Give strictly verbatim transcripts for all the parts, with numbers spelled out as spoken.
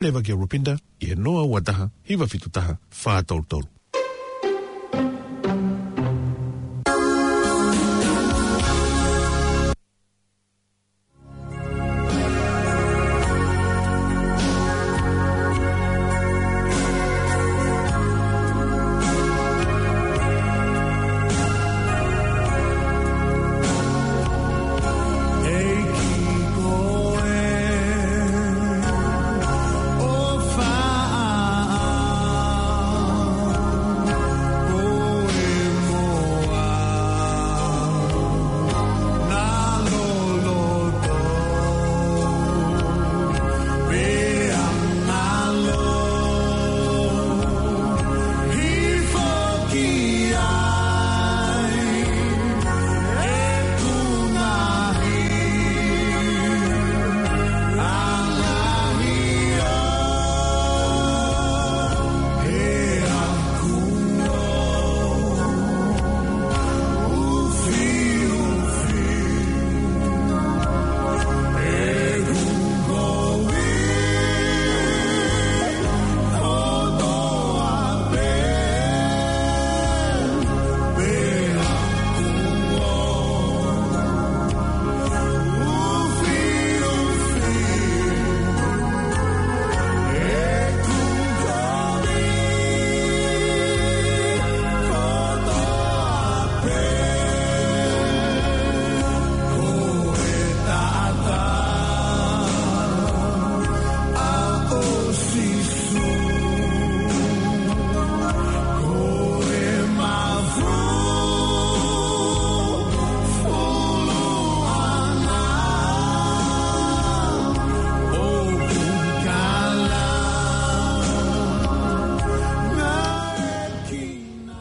Leva kia Rupinda, ʻi he noa ua taha, hiva fitu taha, fā tolu tolu.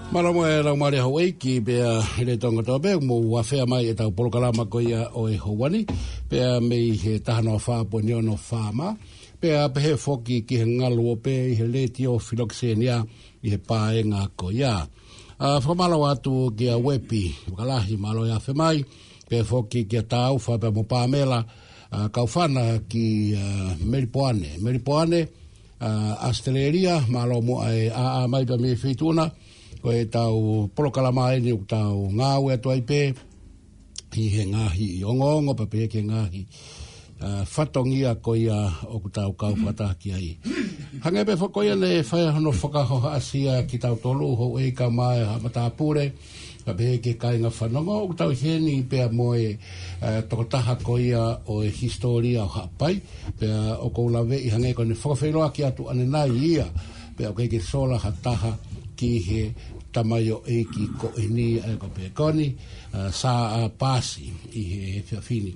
Mālō mo e laumālie houʻeiki pea ʻi he Tonga kotoa pē, mou afea mai ʻetau polokalama ko ia ʻo e houa ni, pea mei he taha noa fā poini ono FM, pea pehē foki ki he ngaluope ʻi he Letiō Filokisenia ʻi he paenga ko ia. ʻA, fakamālō atu kia Uepi Vakalahi, mālō e afe mai, pehē foki kia Taufa pea mo Pamela, ʻa, Kaufana ki, ʻa, Melipoane. Melipoane, ʻa, ʻAositelēlia, mālō muʻa e ʻaʻa mai pea mei Feituʻuna, ko ʻetau polokalama eni ʻoku tau ngāue atu ai pē ʻi he ngaahi ongoongo pea pehē ki he ngaahi, ʻa, fatongia ko ia ʻoku tau kau fakataha ki ai. Hangē pē foki ko ia naʻe fai hono fakahohaʻasia kitautolu, houʻeiki kae ʻumaʻā e haʻa matāpule, pea pehē ki he kāinga fanongo, ʻoku tau ʻi heni pea mo e, ʻa, tokotaha ko ia ʻo e hisitōlia ʻo Haʻapai, pea ʻoku ou laveʻi hangē ko ʻene fakafeʻiloaki atu ʻanenai ia, pea ʻoku ʻikai ke sola ha taha ki he tamaioʻeiki ko eni, ʻa ia ko Pekoni, ʻa, Saʻa Pasi ʻi he efiafi ni.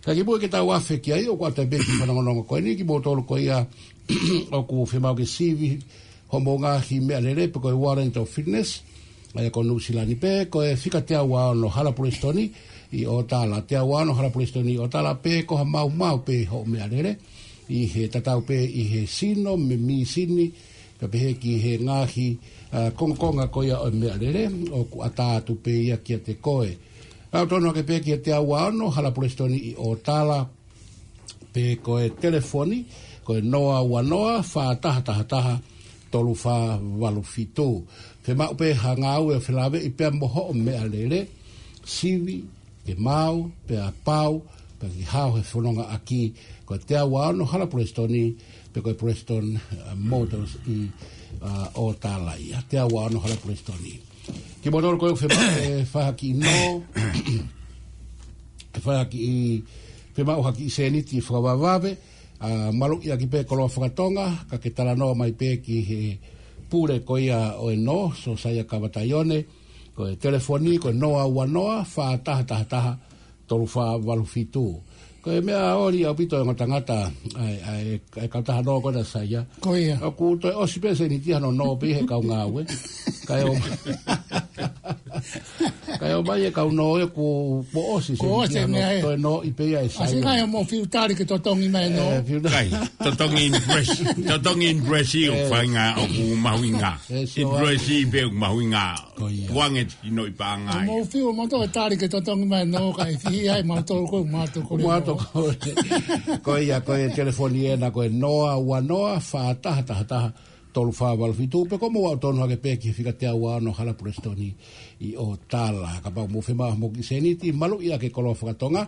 Ka kimuʻa ke tau afe ki ai, ʻoku ʻoatu pē kiʻi fanongonongo ko eni kimoutolu ko ia ʻoku fiemaʻu ke sivi hoʻomou ngaahi meʻalele pe ko e warrant of fitness, ʻa ia ko Nuʻu Sila ni pē, ko e fika teau ua ono Hala Pulesitoni ʻi ʻOtala, teau ua ono Hala Pulesitoni ʻi ʻOtala, pe ko ha maumau pē hoʻo meʻalele, ʻi he tatau pē ʻi he sino mo e mīsini, pea pehē ki he ngaahi, ʻa, kongokonga ko ia ʻo e meʻalele, ʻoku ʻatā atu pē ia kiate koe. Kau tonu hake pē ki he teau ua ono Hala Pulesitoni ʻi ʻOtala, pe ko e telefoni, ko e noa ua noa, fā taha taha taha, tolu fā valu fitu. Fiemaʻu pē ha ngāue ʻo felāveʻi pea mo hoʻo meʻalele, sivi, ke maau, pea pau, pea ke hao he fonongaʻaki, ko e teau ua ono Hala Pulesitoni, pe ko e Prestone, ʻa, Motors ʻi, ʻa, ʻOtala ia, teau ua ono Hala Pulesitoni. Kimoutolu ko ē ʻoku fiemaʻu ʻe fai ha kiʻi nō, ʻe fai ha kiʻi, fiemaʻu ha kiʻi sēniti fakavavevave, ʻa, maluʻi ʻaki pē koloa fakatonga, ka ke talanoa mai pē ki he pule ko ia ʻo e nō, Sōsaia Kavataione, ko e telefoni, ko e noa ua noa, fā taha taha taha, tolu fā valu fitu. Ko e meʻa ʻoli ʻaupito e ongo tangata, ʻa e, ʻa e, ʻa e kautaha nō ko ena, Saia. Ko ia. ʻOku toe ʻosi pē sēniti hano nō pē he kau ngāue. Kae ʻoua, Kae ʻomai e kau nō ē kuo ʻosi se Kuo ʻosi ia e nō, meʻa ē. Toe nō ʻi pē ia e Sai. Sai ngai mo fiu tali ke totongi mai nō. Eh, fiu tali. Kai, totongi in Brazil, totongi in Brazil, Eh. faʻahinga ʻoku mahuʻinga. Eh, In so, Brazil pē ʻoku mahuʻinga. Ko ia. Tuange ʻi noʻi pāngai. Mo fiu mo toe tali ke totongi mai nō, kae fihi ai mo tolu ko mo tolu ko Mo le tolu nō. Ko ia, ko e telefoni ena ko e noa ua noa fā taha taha taha tolu fā valu fitu, pe ko e mou aʻu tonu hake pē ki he fika teau ua ono Hala Pulesitoni ʻi ʻOtala. Kapau mou fiemaʻu ha moki sēniti, maluʻi ʻaki e koloa fakatonga,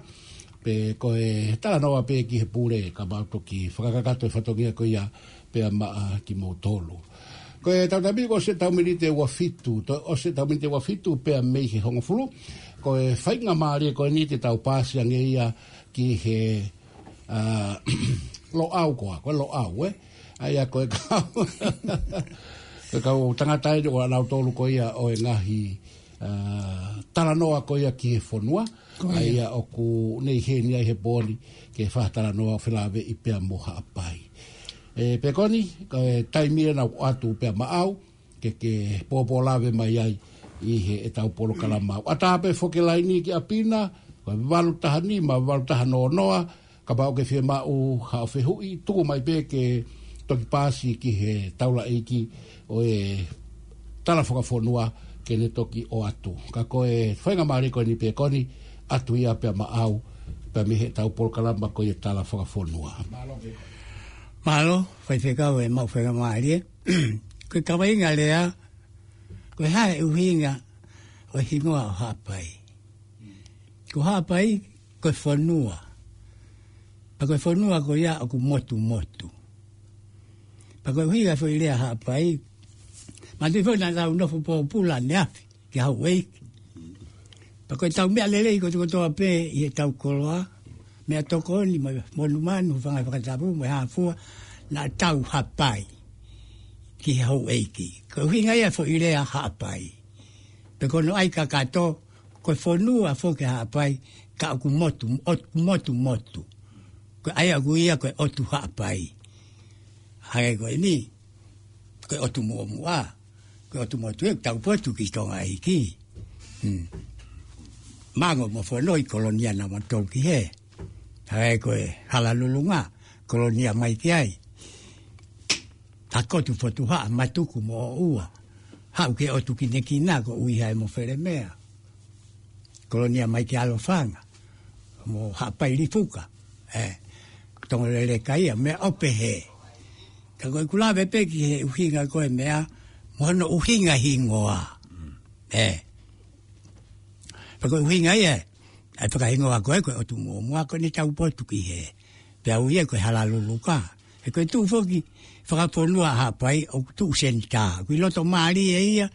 pe ko e talanoa pē ki he pule, kapau toki fakakakato e fatongia ko ia pea maʻa kimoutolu. Ko e tau taimi ko e ʻosi e tau miniti ʻe ua fitu, toe ʻosi e tau miniti ʻe ua fitu pea mei he hongofulu, ko e faingamālie ko eni te tau pāsi ange ia ki he ʻa, Loʻau koā, ko e Loʻau, ē? ʻA ia ko e kau, ko e kau tangata eni ʻo ʻanautolu ko ia ʻo e ngaahi, ʻa, talanoa ko ia ki he fonua. Ko ia. ʻA ia ʻoku ne ʻi heni ai he pō ni ke fai ha talanoa felāveʻi pea mo Haʻapai. ʻE, pea ko eni, ko e taimi ena ʻoku ʻoatu pea maʻau, ke, ke pōpō lave mai ai ʻi he ʻetau polokalama. ʻAtā pē foki e laini ki ʻapi na, ko e valu taha nima, valu taha noa noa, kapau ʻoku ke fiemaʻu haʻo fehuʻi, tuku mai pē ke toki pāsi ki he taulaʻeiki ʻo e tala fakafonua ke ne toki ʻoatu. Ka ko e faingamālie ko eni pē ko eni, ʻoatu ia pea maʻau, pea mei heʻetau polokalama ko ia tala fakafonua. Mālō, faifekau e maʻu faingamālie. Ko e kaveinga lea, ko e hā e ʻuhinga ʻo e hingoa ʻo Haʻapai. Ko Haʻapai, ko e fonua. Pea ko e fonua ko ia ʻoku motumotu. Pea ko e ʻuhinga foʻi lea Haʻapai, manatuʻi foʻi naʻa tau nofo pōpula ʻaneafi, ki houʻeiki. Pea ko e tau meʻa lelei kotokotoa pē ʻi heʻetau koloa, meʻatokoni, mo e monumanu, hūfanga he fakatapu, mo e hā fua, naʻa tau hapai ki he houʻeiki. Ko e ʻuhinga ia foʻi lea Haʻapai. Pea ko hono ʻai kakato, ko e fonua foki Haʻapai, ka ʻoku motu, ʻoku motumotu. Ko e ʻai ʻaku ia ko e ʻOtu Haʻapai. Hangē ko eni, ko e ʻOtu Muʻomuʻa. Ko e ʻOtu Motu ē, tau potu ki Tonga ʻEiki. Hmm. Mango mo Fono ʻi Kolonia namba tolu ki hē. Hangē ko e Hala Lulunga, Kolonia mai ki ai. Hakotu Fotu Haʻa, Matuku mo ʻOua. Haʻu ki he ʻOtu Kinekina ko ʻUiha mo Felemea. Kolonia mai ki Alofanga, mo Haʻapai Lifuka, ē, Tongoleleka ia, meʻa ʻo pehē. Ka ko e kulave pē ki he ʻuhinga ko e meʻa, mo hono ʻuhinga hingoa. Ē. Pea ko e ʻuhinga ia, ʻa e fakahingoa ko ē, ko e ʻOtu Muʻomuʻa ko eni tau potu ki hē. Pea ui ia ko e Hala Luluka. He ko e tuʻu foki fakafonua Haʻapai ʻoku tuʻu senitā. ʻOku ʻi loto mālie ia,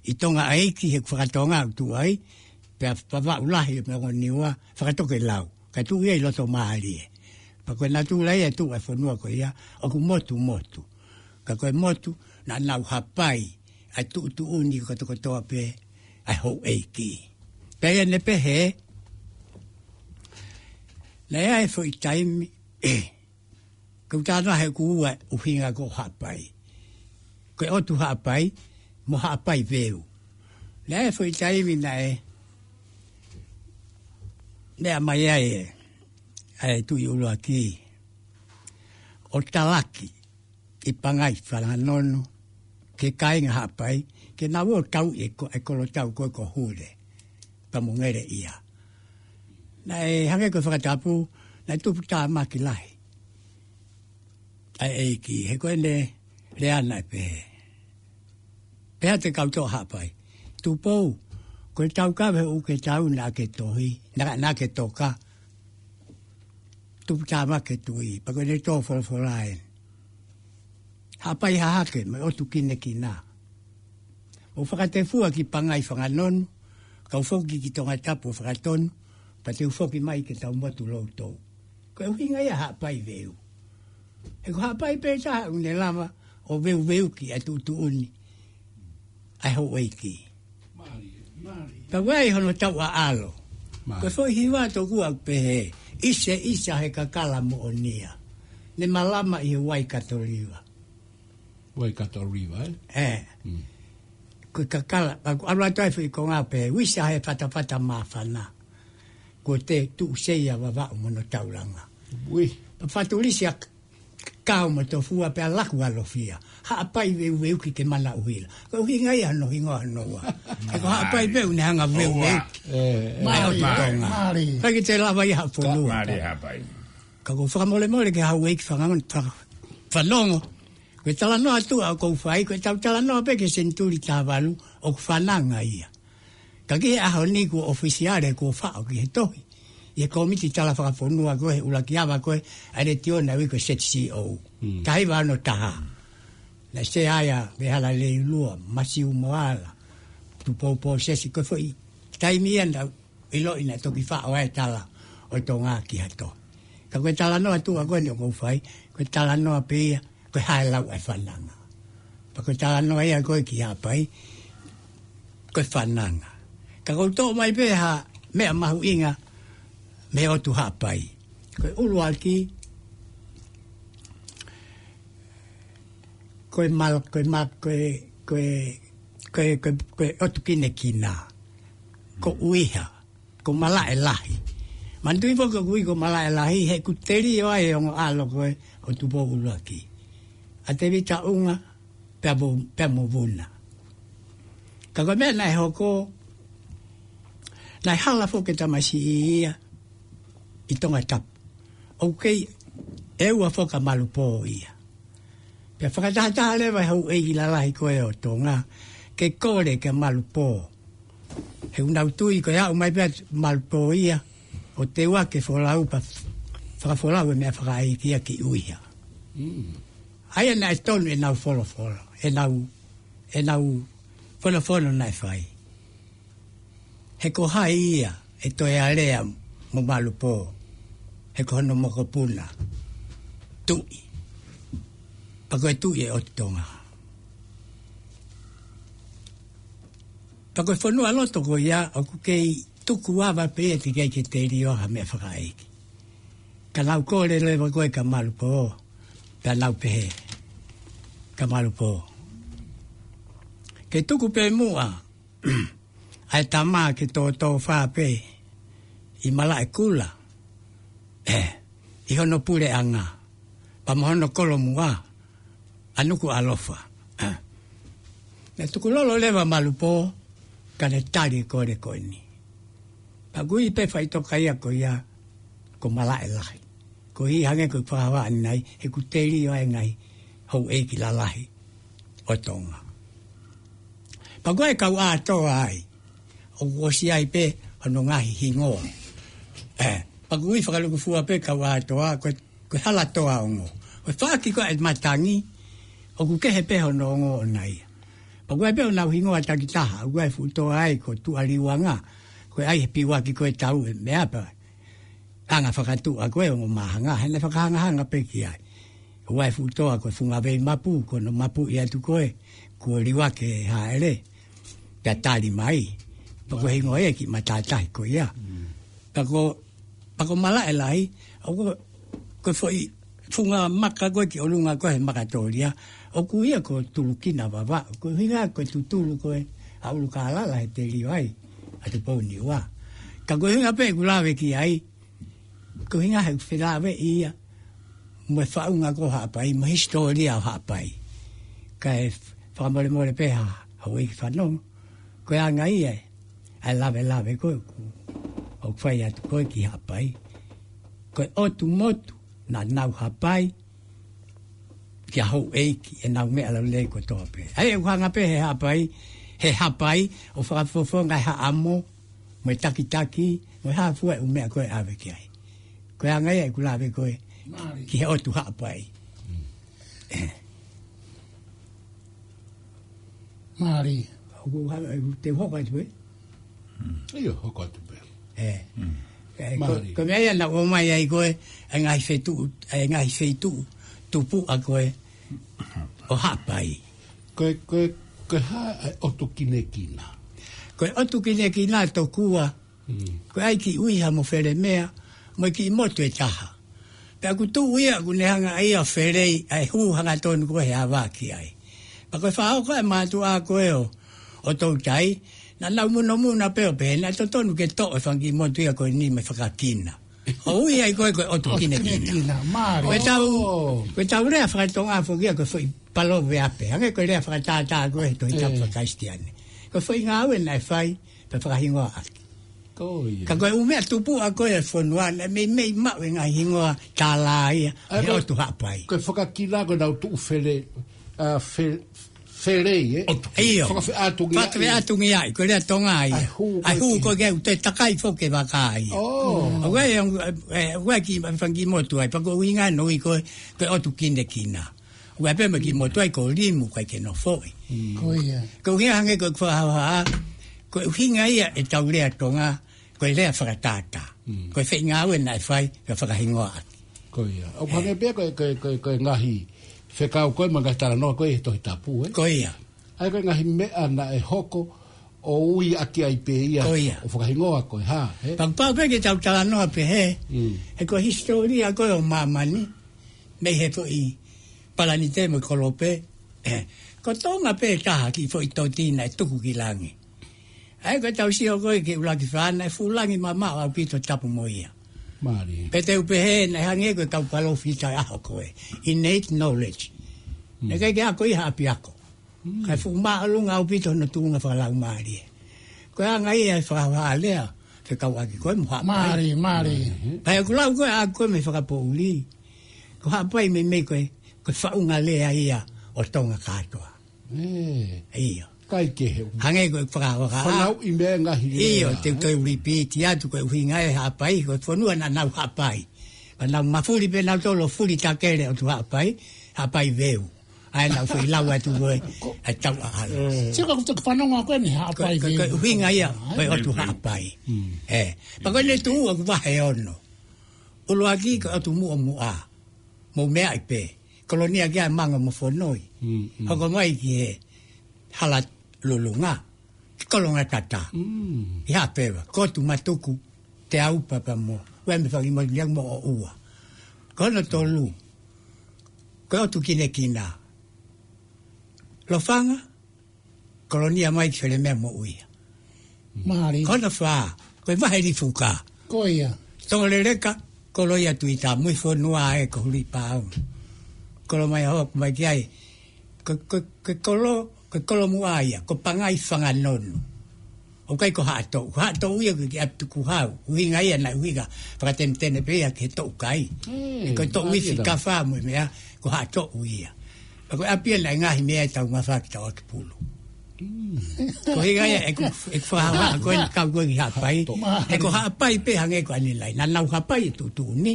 ʻi Tonga ʻEiki he fakatonga ʻoku tuʻu ai, pea Vavaʻu Lahi mo Niua, fakatokelau. Ka tuʻu ia ʻi loto mālie. Pea ko e natula ia e tuʻu ʻa e fonua ko ia, ʻoku motumotu. Ka ko e motu, naʻa nau hapai, ʻa e tuʻutuʻuni kotokotoa pē, ʻa e houʻeiki. Pea ia ne pehē, naʻe ʻi ai e foʻi taimi, ē, ko u tānaki ʻoku ua ʻuhinga ko Haʻapai. Ko e ʻOtu Haʻapai, mo Haʻapai Veu. Naʻe ʻi ai e foʻi taimi naʻe, naʻe meʻa mai ai ē, ʻa e Tuʻi ʻUluaki, ʻo talaki ʻi Pangai Fanganonu, ki he kāinga Haʻapai, ke nau ō ʻo tauʻi e ko-, e kolotau ko ē ko Hule, pea mo Ngeleʻia. Naʻe hangē ko e fakatapu, naʻe tupu tāmaki lahi ʻa e ʻEiki, he ko ʻene lea naʻe pehē. Pehē atu e kau toʻa Haʻapai. Tupou, ko e tau kave ʻoku ke tau naʻa ke tohi, naʻa, naʻa ke toka. Tupu tāmaki e tuʻi, pea ko ʻene tō folofola ē. Haʻapai Hahake, mo e ʻOtu Kinekina. ʻO fakatefua ki Pangai Fanganonu, kau foki ki Tongatapu ʻo fakatonu, pea te u foki mai ke tau motu loutou. Ko e ʻuhinga ia Haʻapai Veu. He ko Haʻapai pē taha ʻoku ne lava ʻo veuveuki ʻa e tuʻutuʻuni ʻa e houʻeiki. Ka ʻoku ʻi ai hono tauʻaʻalo. Mālie. Ko e foʻi hiva tokua ʻoku pehē, ʻIseʻisa he kakala moʻonia. Ne malama ʻi he Waikato River. Waikato River, ē? Ē. Mm. Ko e kakala, ʻa ʻalu atu ai foʻi konga pē, uisa he fatafata māfana. Ko te tuʻu seia Vavaʻu mo hono taulanga. Ui. Pea fatulisi ʻa Kao mo Tofua pea laku ʻa Lofia. Haʻapai veuveuki ke mana ʻuhila. Ko e ʻuhinga ia hono hingoa hono ua. He ko Haʻapai pē ʻoku ne hanga veuveuki. Mālie, ʻOtu Tonga. Mālie. Ka ke te lava ia ha fonua. Mālie Haʻapai. Ka ʻoku ou fakamolemole ki he houʻeiki fanga-, fa-, fanongo. Ko e talanoa atu ʻoku ou fai, ko e tau talanoa pē ki he senituli tahavalu, ʻoku fananga ia. Ka ki he ʻaho ni kuo ʻofisiale kuo faʻo ki he tohi. ʻI he kōmiti tala fakafonua ko ē he ʻuluaki ava ko ē ʻa e letiō naʻe ui ko e Z C O. Mm. Taha hiva ono taha. Naʻe sea ai ʻa Vehala Leilua, Masiu Moala, Tupou Pōsesi, ko e foʻi taimi ia naʻa ʻiloʻi naʻe toki faʻo ai e tala ʻo Tonga ki ha tohi. Ka ko e talanoa atu ʻa ko eni ʻoku ou fai, ko e talanoa pē ia, ko e hā e lau ʻa e fananga. Pea ko e talanoa ia ko ē ki Haʻapai, ko e fananga. Ka ʻoku ou toʻo mai pē ha meʻa mahuʻinga mei he ʻOtu Haʻapai. Ko e ʻuluaki, ko e mal-, ko e ma-, ko e, ko e, ko e, ko e, ko e ʻotu kinekina. Ko ʻUiha, ko Malaʻe Lahi. Manatuʻi foki ʻoku ui ko Malaʻe Lahi, he ʻoku telio ai e ongo ʻalo ko ē ʻo Tupou ʻUluaki. ʻA Tevita ʻUnga, pea mo, pea mo Vuna. Ka ko e meʻa naʻe hoko, naʻe hala foki e tamasiʻi ia ʻi Tongatapu. ʻOku kei ʻeua foki ʻa Malupō ia. Pea fakatahataha leva e houʻeiki lalahi ko ē ʻo Tonga, ke kole kia Malupō. He ʻoku nau tui ko e aʻu mai pē ʻa Malupō ia, ʻo teuaki e folau pea fakafolau e meʻa fakaʻeiki ia ki ʻUiha. Mm. ʻA ia naʻe tonu ʻenau folofola, ʻenau, ʻenau fonofono naʻe fai. He ko hai ia ʻe toe alea mo Malupō, he ko hono mokopuna Tuʻi. Pea ko e Tuʻi ʻo e ʻOtu Tonga. Pea ko e fonualoto ko ia, ʻoku kei tuku ava pē ia teʻeki ke telio ha meʻa fakaʻeiki. Ka nau kole leva ko ē kia Malupō, pea nau pehē kia Malupō, ke tuku pē muʻa ʻa e tama ke tōtōfā pē ʻi Malaʻekula, ē, ʻi hono puleʻanga, pea mo hono kolomuʻa, ʻa Nukuʻalofa. Ē. Naʻe tukulolo leva ʻa Malupō, ka ne tali e kole ko eni. Pea ʻoku ui pē faʻitoka ia ko ia, ko Malaʻe Lahi. Ko e hangē ko e fakahā ʻanenai, he ʻoku telio ai e ngaahi houʻeiki lalahi ʻo Tonga. Pea ko e kau ʻātoa ai, ʻoku ʻosi ai pē hono ngaahi hingoa. Ē, pea ʻoku ui fakalūkufua pē kau ʻātoa, ko e, ko e Halatoa Ongo. Ko e faʻaki ko ē ʻa e matangi, ʻoku kehe pē hono ongo ʻona ia. Pea ʻoku ʻi ai pē honau hingoa takitaha, ʻoku ʻi ai e fuʻu toa ai ko Tuʻaliuanga, ko e ʻai he piuaki ko ē tau e meʻa pea anga fakatuʻa ko ē ongo māhanga, he naʻe fakahangahanga pē ki ai. ʻOku ʻi ai e fuʻu toa ko e Fungaveimapu, ko hono mapuʻi atu ko ē, kuo liuaki e hāʻele, pea tali mai. Pea ko e hingoa ia e kiʻi matātahi ko ia. Mm. Pea ko, pea ko Malaʻe Lahi, ʻoku, ko e foʻi funga maka ko ē ki ʻolunga ko ē he Makatōlia, ʻoku ui ia ko Tulukina Vavaʻu, ko e ʻuhinga ko e tutulu ko ē ʻa ʻUlukālala he telio ai ʻa Tupou Niua. Ka ko e ʻuhinga pē ʻeku lave ki ai, ko e ʻuhinga he ʻoku felāveʻi ia mo e faʻunga ko Haʻapai, mo e hisitōlia ʻo Haʻapai. Kae fakamolemole pē ha, houʻeiki fanongo, ko e anga ia ʻa e lavelave ko ē ʻoku, ʻoku fai atu ko ē ki Haʻapai. Ko e ʻotu motu naʻa nau hapai kia houʻeiki ʻenau meʻa lelei kotoa pē. ʻA ia ʻoku hanga pē he Haʻapai, he hapai, ʻo fakafofonga e haʻamo, mo e takitaki, mo e hā fua e ʻū meʻa ko ē ʻave ki ai. Ko e anga ia ʻeku lave ko ē ki he ʻOtu Haʻapai. Mālie. ʻOku hanga, ʻoku te hoko atu pē? ʻIo, hoko atu pē. Ē. Ē, ko, ko e meʻa ia naʻa ku ʻomai ai ko ē, e ngaahi feituʻu, e ngaahi feituʻu tupuʻa ko ē ʻo Haʻapai. Ko e, ko e, ko e hā e ʻotu kinekina? Ko e ʻotu kinekina tokua, ko e ʻai ki ʻUiha mo Felemea, mo e kiʻi motu ʻe taha. Pea ʻoku tuʻu ia, ʻoku ne hanga ʻe ia ʻo felei ʻa e hū hangatonu ko ē he ava ki ai. Pea ko e faʻa hoko e mātuʻa ko ē ʻo, ʻo Toutai, naʻa nau munomuna pē ʻo pehē naʻe totonu ke toʻo e fanga kiʻi motu ia ko eni mo e fakakina. ʻO ui ai ko e, ko e ʻotu kinekina. Kinekina, mālie. Ko e tau, ko e tau lea fakatonga foki ia ko e foʻi paloveape. Hangē ko e lea fakatātā ko e he Tohi Tapu fakakalisitiane. Ko e foʻi ngāue naʻe fai, pea fakahingoa ʻaki. Ko ia. Ka ko e ʻū meʻa tupuʻa ko e fonua, naʻe meimei maʻu e ngaahi hingoa tālā ia, ʻa e he ko, ʻotu Haʻapai. Ko e fakakina ko e nau tuʻu fele, ʻa, fe-, felei, ē? ʻIo. Fakafeʻātungiaʻi. Fakafeʻātungiaʻi, ko e lea Tonga ia. ʻA e hū, ʻa e hū ko e ke u te takai foki e vaka ia. ʻO. ʻA ʻoku ʻi ai, ʻa e, ʻa e, ʻoku ʻi ai e kiʻi fanga kiʻi motu ai, pea ko e ʻuhinga ʻoku ui ko e, ko e ʻotu kinekina. ʻOku ʻi ai pē mo e kiʻi motu ai ko Limu, ʻikai ke nofoʻi. Ko ia. Ko e ʻuhinga hangē ko e fakahohaʻa, ko e ʻuhinga ia e tau lea Tonga, ko e lea fakatātā. Ko e foʻi ngāue naʻe fai, ka fakahingoa ʻaki. Ko ia. ʻOku hangē pē ko e, ko e, ko e, ko e ngaahi fekau ko e mo e ngaahi talanoa ko e he Tohi Tapu, ē? Ko ia. ʻA ia ko e ngaahi meʻa naʻe hoko ʻo ui ʻaki ai pē ia. Ko ia. ʻO fakahingoa ko e hā, ē? Pea pau pē ke tau talanoa pē he, he ko e hisitōlia ko e ʻo māmani, mei he foʻi Palanite mo e Kolope, ē. Ko Tonga pē taha kiʻi foʻi toti naʻe tuku ki langi. ʻA ia ko e tau sio ko e ki ʻUluaki Fā naʻe fuʻu langi mamaʻo ʻaupito tapu mo ia. Mālie. Pea te u pehē naʻe hangē ko e kau palōfita ʻaho ko e. Innate knowledge. Naʻe ʻikai ke ako ia ha ʻapiako. Kae fuʻu māʻolunga ʻaupito hono tuʻunga fakalaumālie. Ko e anga ia e fakahohaʻa lea, fekauʻaki ko e mo Haʻapai. Mālie, mālie. Pea ʻoku lau ko e ʻa ko e mei he fakapoʻuli. Ko Haʻapai meimei ko e, ko e faʻunga lea ia ʻo Tonga kātoa. ʻIo. ʻIkai ke he. Hangē ko e fakahohaʻa. Fanauʻi meʻa ngaahi lea. ʻIo, te u toe repeat atu ko e ʻuhinga e Haʻapai, ko e fonua naʻa nau haʻapai. Ka nau mafuli pē nau tolo fuli takele ʻotu Haʻapai, Haʻapai Veu. ʻA ia naʻa ku foʻi lau atu ko e, ʻa e tau ʻaʻana. Sio ka kuta ke fanongo ko eni Haʻapai Veu. Ko e ʻuhinga ia, ko e ʻotu Haʻapai. Ē, pea ko eni tuʻu ʻoku vahe ono. ʻUluaki ko e ʻotu Muʻomuʻa. Mou meaʻi pē. Kolonia ki ai Manga mo Fonoi. Hoko mai ki he Hala Lulunga. Ki Kolongatata. ʻI Haʻapeva. Kotu Matuku. Te Aupa pea mo. Ue me faki mo lia mo ʻo ua. Ko hono tolu. Ko e ʻotu kinekina. Lofanga. Kolonia mai ki Felemea mo ʻUia. Mālie. Ko hono fā. Ko e vahe Lifuka. Ko ia. Tonga Leleka. Koloia Tuita. Mui fonua e ko Huli Pau. Kolo mai ho, mai ki ai. Ko, ko, ko kolo, ko kolo muʻa ia. Ko Pangai Fanganonu. ʻOku ʻikai ko Haʻatoʻu. Ko Haʻatoʻu ia ko e kiʻi ʻapi tukuhau. ʻUhinga ia naʻe ʻuhinga. Fakatenetene pē ia ke toʻu kai. Ko e toʻu ifi kafa mo e meʻa. Ko Haʻatoʻu ia. Pea ko e ʻapi ia naʻe ngaahi meʻa e tau mafaki tau ʻaki pulu. Ko e ʻuhinga ia ʻeku, ʻeku fakahohaʻa ko e kau ko e ki Haʻapai. ʻE ko Haʻapai pē hangē ko ʻanenai. Naʻa nau haʻapai e tuʻutuʻuni.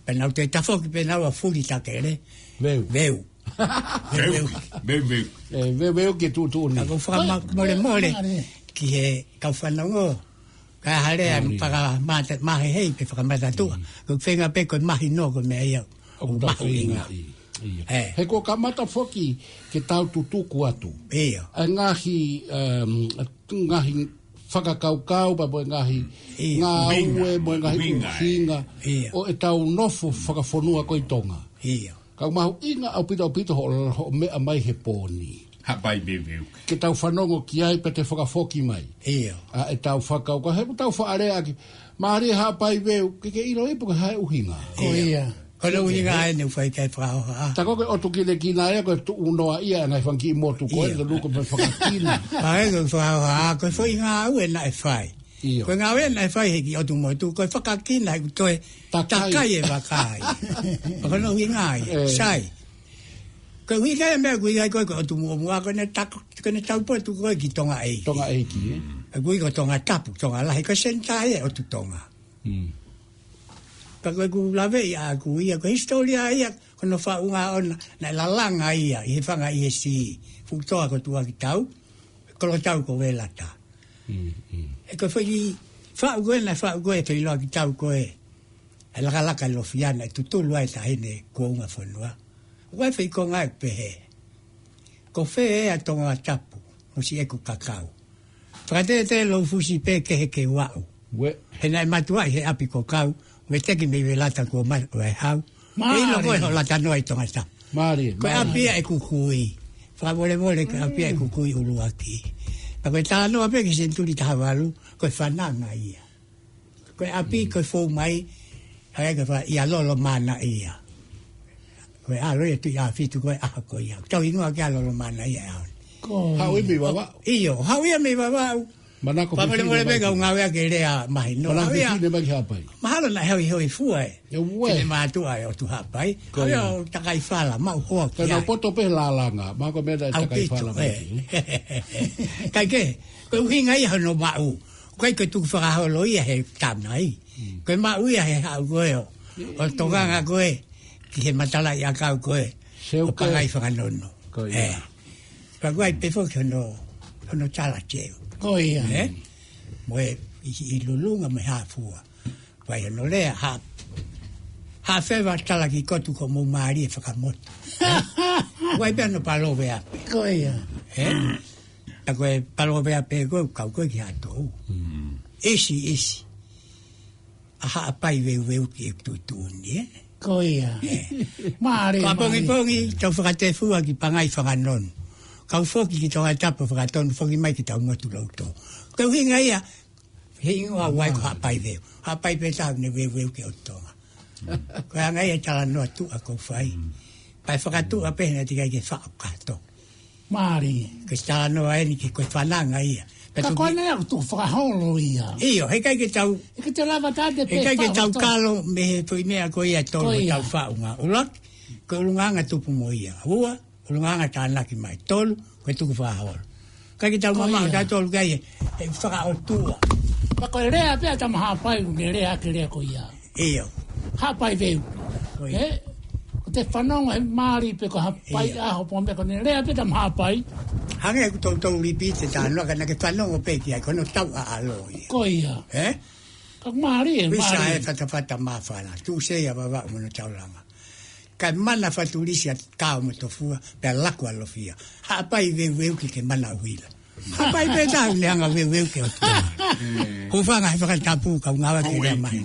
Pea nau toe tafoki pē nau ʻa fuli takele. Veu. Veu. Veu. Veu, veu. ʻE, veu, veu ke tuʻutuʻuni. Ka ko e fakamolemole ki he kau fanongo. Ka hale a fakamata, mahehei pe fakamata tuʻa. Ko e feinga pē ko e mahino ko e meʻa ia. ʻOku mahuʻinga. He ko e kamata foki ke tau tutuku atu. ʻIo. ʻA e ngaahi, um, ngaahi fakakaukau, pea mo e ngaahi ngāue, mo e ngaahi ʻuhinga. ʻO e tau nofo fakafonua ko e Tonga. ʻIo. Ka ʻoku mahuʻinga ʻaupito ʻaupito hoʻo, hoʻo meʻa mai he pōni. Haʻapai Veu. Ke tau fanongo ki ai pea te fakafoki mai. ʻIo. ʻA e tau fakakaukau, he ʻoku tau faʻa lea ʻaki. Mālie Haʻapai Veu, ke ke ʻilo ipu ke hae ʻuhinga. Ko ia. Ko e ʻuhinga ai ne u fai kai fakahohaʻa. Ta ko e ʻotu kinekina ia ko e tuʻu noa ia ngaahi fanga kiʻi motu ko e luko pe fakakina. Ai ko e fakahohaʻa, ko e foʻi ngāue naʻe fai. ʻIo. Ko e ngāue naʻe fai he kiʻi ʻotu motu, ko e fakakina he ʻoku toe takai e vaka ia. Ko hono ʻuhinga ia, sai. Ko e ʻuhinga ia meʻa ʻoku ʻi ai ko e, ko e ʻotu Muʻomuʻa, ko ʻene tako, ko ʻene taupotu ko e ki Tonga ʻEiki. Tonga ʻEiki, ē? ʻOku ui ko Tongatapu, Tonga Lahi, ko e senitā ia ʻotu Tonga. Ka ko ʻeku laveʻi ʻaʻaku ia, ko e hisitōlia ia, ko hono faʻunga ʻona, naʻe lalanga ia, ʻi he fanga ʻi he sī, fuʻu toa ko Tuakitau, Kolotau ko Velata. ʻE ko e foʻi faʻu ko ē, naʻe faʻu ko ē, feʻiloaki tau ko ē, ʻa e lakalaka ʻi Lofiana, ʻe tutulu ai taʻahine kuo unga fonua. ʻOku ʻi ai e foʻi konga ʻe pehē. Ko fē ʻa Tongatapu, mo siʻeku kakau. Fakatētē lou fusi pē kehe ke u aʻu. He naʻe matuaʻi he ʻapi ko Kau, veteki mei Velata kuo ma-, ʻo e hau. Mālie. ʻE ʻilo ko e hoʻo lata noa ʻi Tongatapu. Mālie, mālie. Ko e ʻapi ia ʻeku kui. Fakamolemole ko e ʻapi ia ʻeku kui ʻuluaki. Ka ko e talanoa pē ki he senituli taha valu, ko e fananga ia. Ko e ʻapi, ko e fou mai, ʻa ia ko e fa-, ʻia Lolomanaʻia. Ko e ʻalo ia Tuʻiʻāfitu ko e ʻaho ko ia. Tau hingoa ki ai Lolomanaʻia ʻaho ni. Ko ia. Haʻu ia mei Vavaʻu. ʻIo, haʻu ia mei Vavaʻu. Manako fefine mai ki Haʻapai. Fakamolemole pē kau ngāue ʻaki e lea mahino. Manako fefine mai ki Haʻapai. Mahalo naʻe hoihoifua e. ʻE ue. Fefine mātuʻa ʻo e ʻOtu Haʻapai. Ko ia. Haʻu ia ʻo takai fala, maʻu hoa ki ai. Ka nau poto pē he lālanga, mahalo ko e meʻa naʻe takai fala mai ki ai. Kae kehe, ko e ʻuhinga ia hono maʻu. ʻIkai ko e tukufakaholo ia he tamai. Mm. Ko e maʻu ia he haʻu ko ē ʻo, ʻo tokanga ko ē ki he matalaʻiʻakau ko ē ʻo Pangai Fakanono. Ko ia. ʻE. Ka ʻoku ʻi ai pē foki hono, hono tala teu. Ko ia. ʻE? Mo e ʻi, ʻi Lulunga mo e Hāfua. ʻOku ʻi ai hono lea, ha, ha feva tala ki kotu ko mou mālie fakamotu. ʻE? ʻOku ʻi ai pē hono paloveape. Ko ia. ʻE? ʻA ko e paloveape ko ē, kau ko ē ki Haʻatou. Mm. ʻIsi, ʻisi. ʻA Haʻapai veuveuki ʻeku tuʻutuʻuni, ʻe? Ko ia. ʻE. Mālie, mālie. Ko ʻapongipongi, tau fakatefua ki Pangai Fakanono. Kau foki ki Tongatapu fakatonu, foki mai ki tau motu loto. Ko e ʻuhinga ia, he hingoa ʻoku ʻi ai ko Haʻapai veu. Haʻapai pē taha ne veuveuki ʻo Tonga. Ko e anga ia e talanoa tuʻa ʻoku ou fai. Mm. Pea fakatuʻa pē naʻe teʻeki ai ke faʻo kātoa. Mālie. Ko e talanoa eni ki he ko e fananga ia. Ka ko ʻene ʻoku tukufakaholo ia. ʻIo, heʻikai ke tau, ʻikai ke tau kalo mei he foʻi meʻa ko ia tolu ʻoku tau faʻu ngā. ʻUluaki, ko e ʻulungaanga tupu mo ia. Ua, ʻulungaanga tānaki mai. Tolu, ko e tukufakaholo. ʻIkai ke tau mamaʻo tautolu ki ai he, he fakaʻotua. Ka ko e lea pē ʻa Tama Haʻapai, ʻoku ne lea ki he lea ko ia. ʻIo. Haʻapai veu. Ko ia. ʻE? Ko e fanongo he mālie pē ko Haʻapai ʻaho pō meʻa ko ʻene lea pē Tama Haʻapai. Hangē ʻoku toutou lipiti e talanoa ka naʻa ke fanongo pē ki ai, ko hono tau ʻaʻalo ia. Ko ia. ʻE? Ka mālie, mālie. Visa e fatafata māfana. Tuʻu sei a Vavaʻu mo hono taulanga. Kae mana Fatulisi ʻa Kao mo Tofua, pea laku ʻa Lofia. Haʻapai veuveuki ke mana ʻuhila. Haʻapai pē taha ne hanga veuveuki ʻo Tonga. Hūfanga he fakatapu kau ngāue ki he lea mai.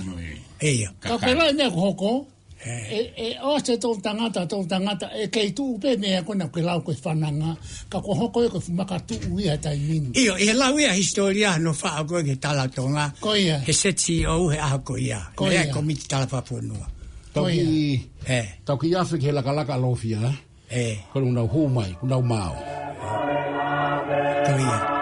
ʻIo. Ka ke lau e meʻa ʻoku hoko, ʻe, ʻe ʻosi e toʻutangata, toʻutangata, ʻe kei tuʻu pē meʻa ko ena ʻoku ke lau ko e fananga, ka ʻoku hoko ia ko e fuʻu makatuʻu ia he taimi ni. ʻIo, ʻi he lau ia hisitōlia hono faʻo ko ē ki he Tala Tonga. Ko ia. He Z C O he ʻaho ko ia. Ko ia. He komiti talafonua. Tau kiʻi, tau kiʻi afe ki he lakalaka ʻa Lofia, ʻe? ʻE. Ko ʻenau hū mai, ko ʻenau mao. Ko ia.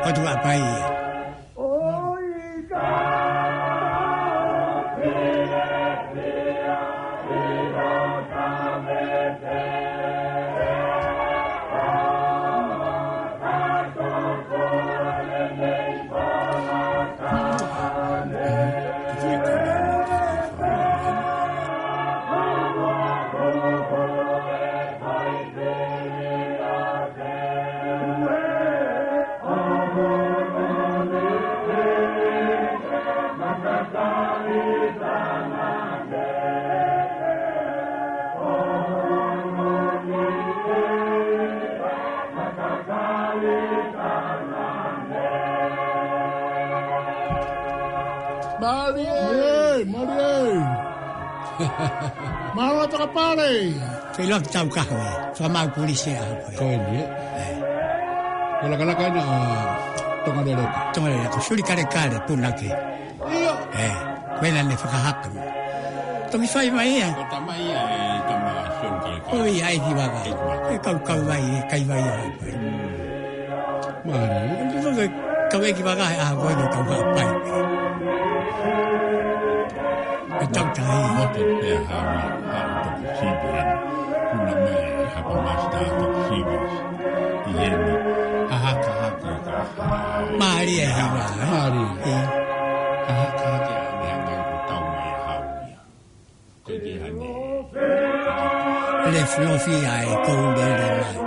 ʻOtu Haʻapai ia. Mālie, mālie. Mālō e fakapale. Feiloaki Taukaho ia. Fakamaau Pulisi ʻaho ko ē. Ko eni, ʻe? ʻE. Ko e lakalaka ena ʻa Tongaleleka. Tongaleleka, ko Suli Kalekale, punake. ʻIo. ʻE, ko ena ne fakahaka. Toki fai mai ia. Ko e tama ia ʻe tama Suli Kalekale. Ko ia ʻEiki Vaka. ʻEiki Vaka. ʻE kau kauvai, ʻe kaivai ʻaho ko ē. Mālie. Ko e kau ʻEiki Vaka he ʻaho ko ē ko e kau Haʻapai. ʻE tau tahi. Moto pea haʻu ia, haʻu toki sivi eni. Puna mai e hapa masita toki sivi. ʻI heni, hahakahaka ka hā. Mālie e hiva, ʻe? Mālie. ʻE. Hahakahaka ʻa e meʻa ko e tau mai e haʻu ia. Ko e ke hane. Lefilofi ai ko u lele mai.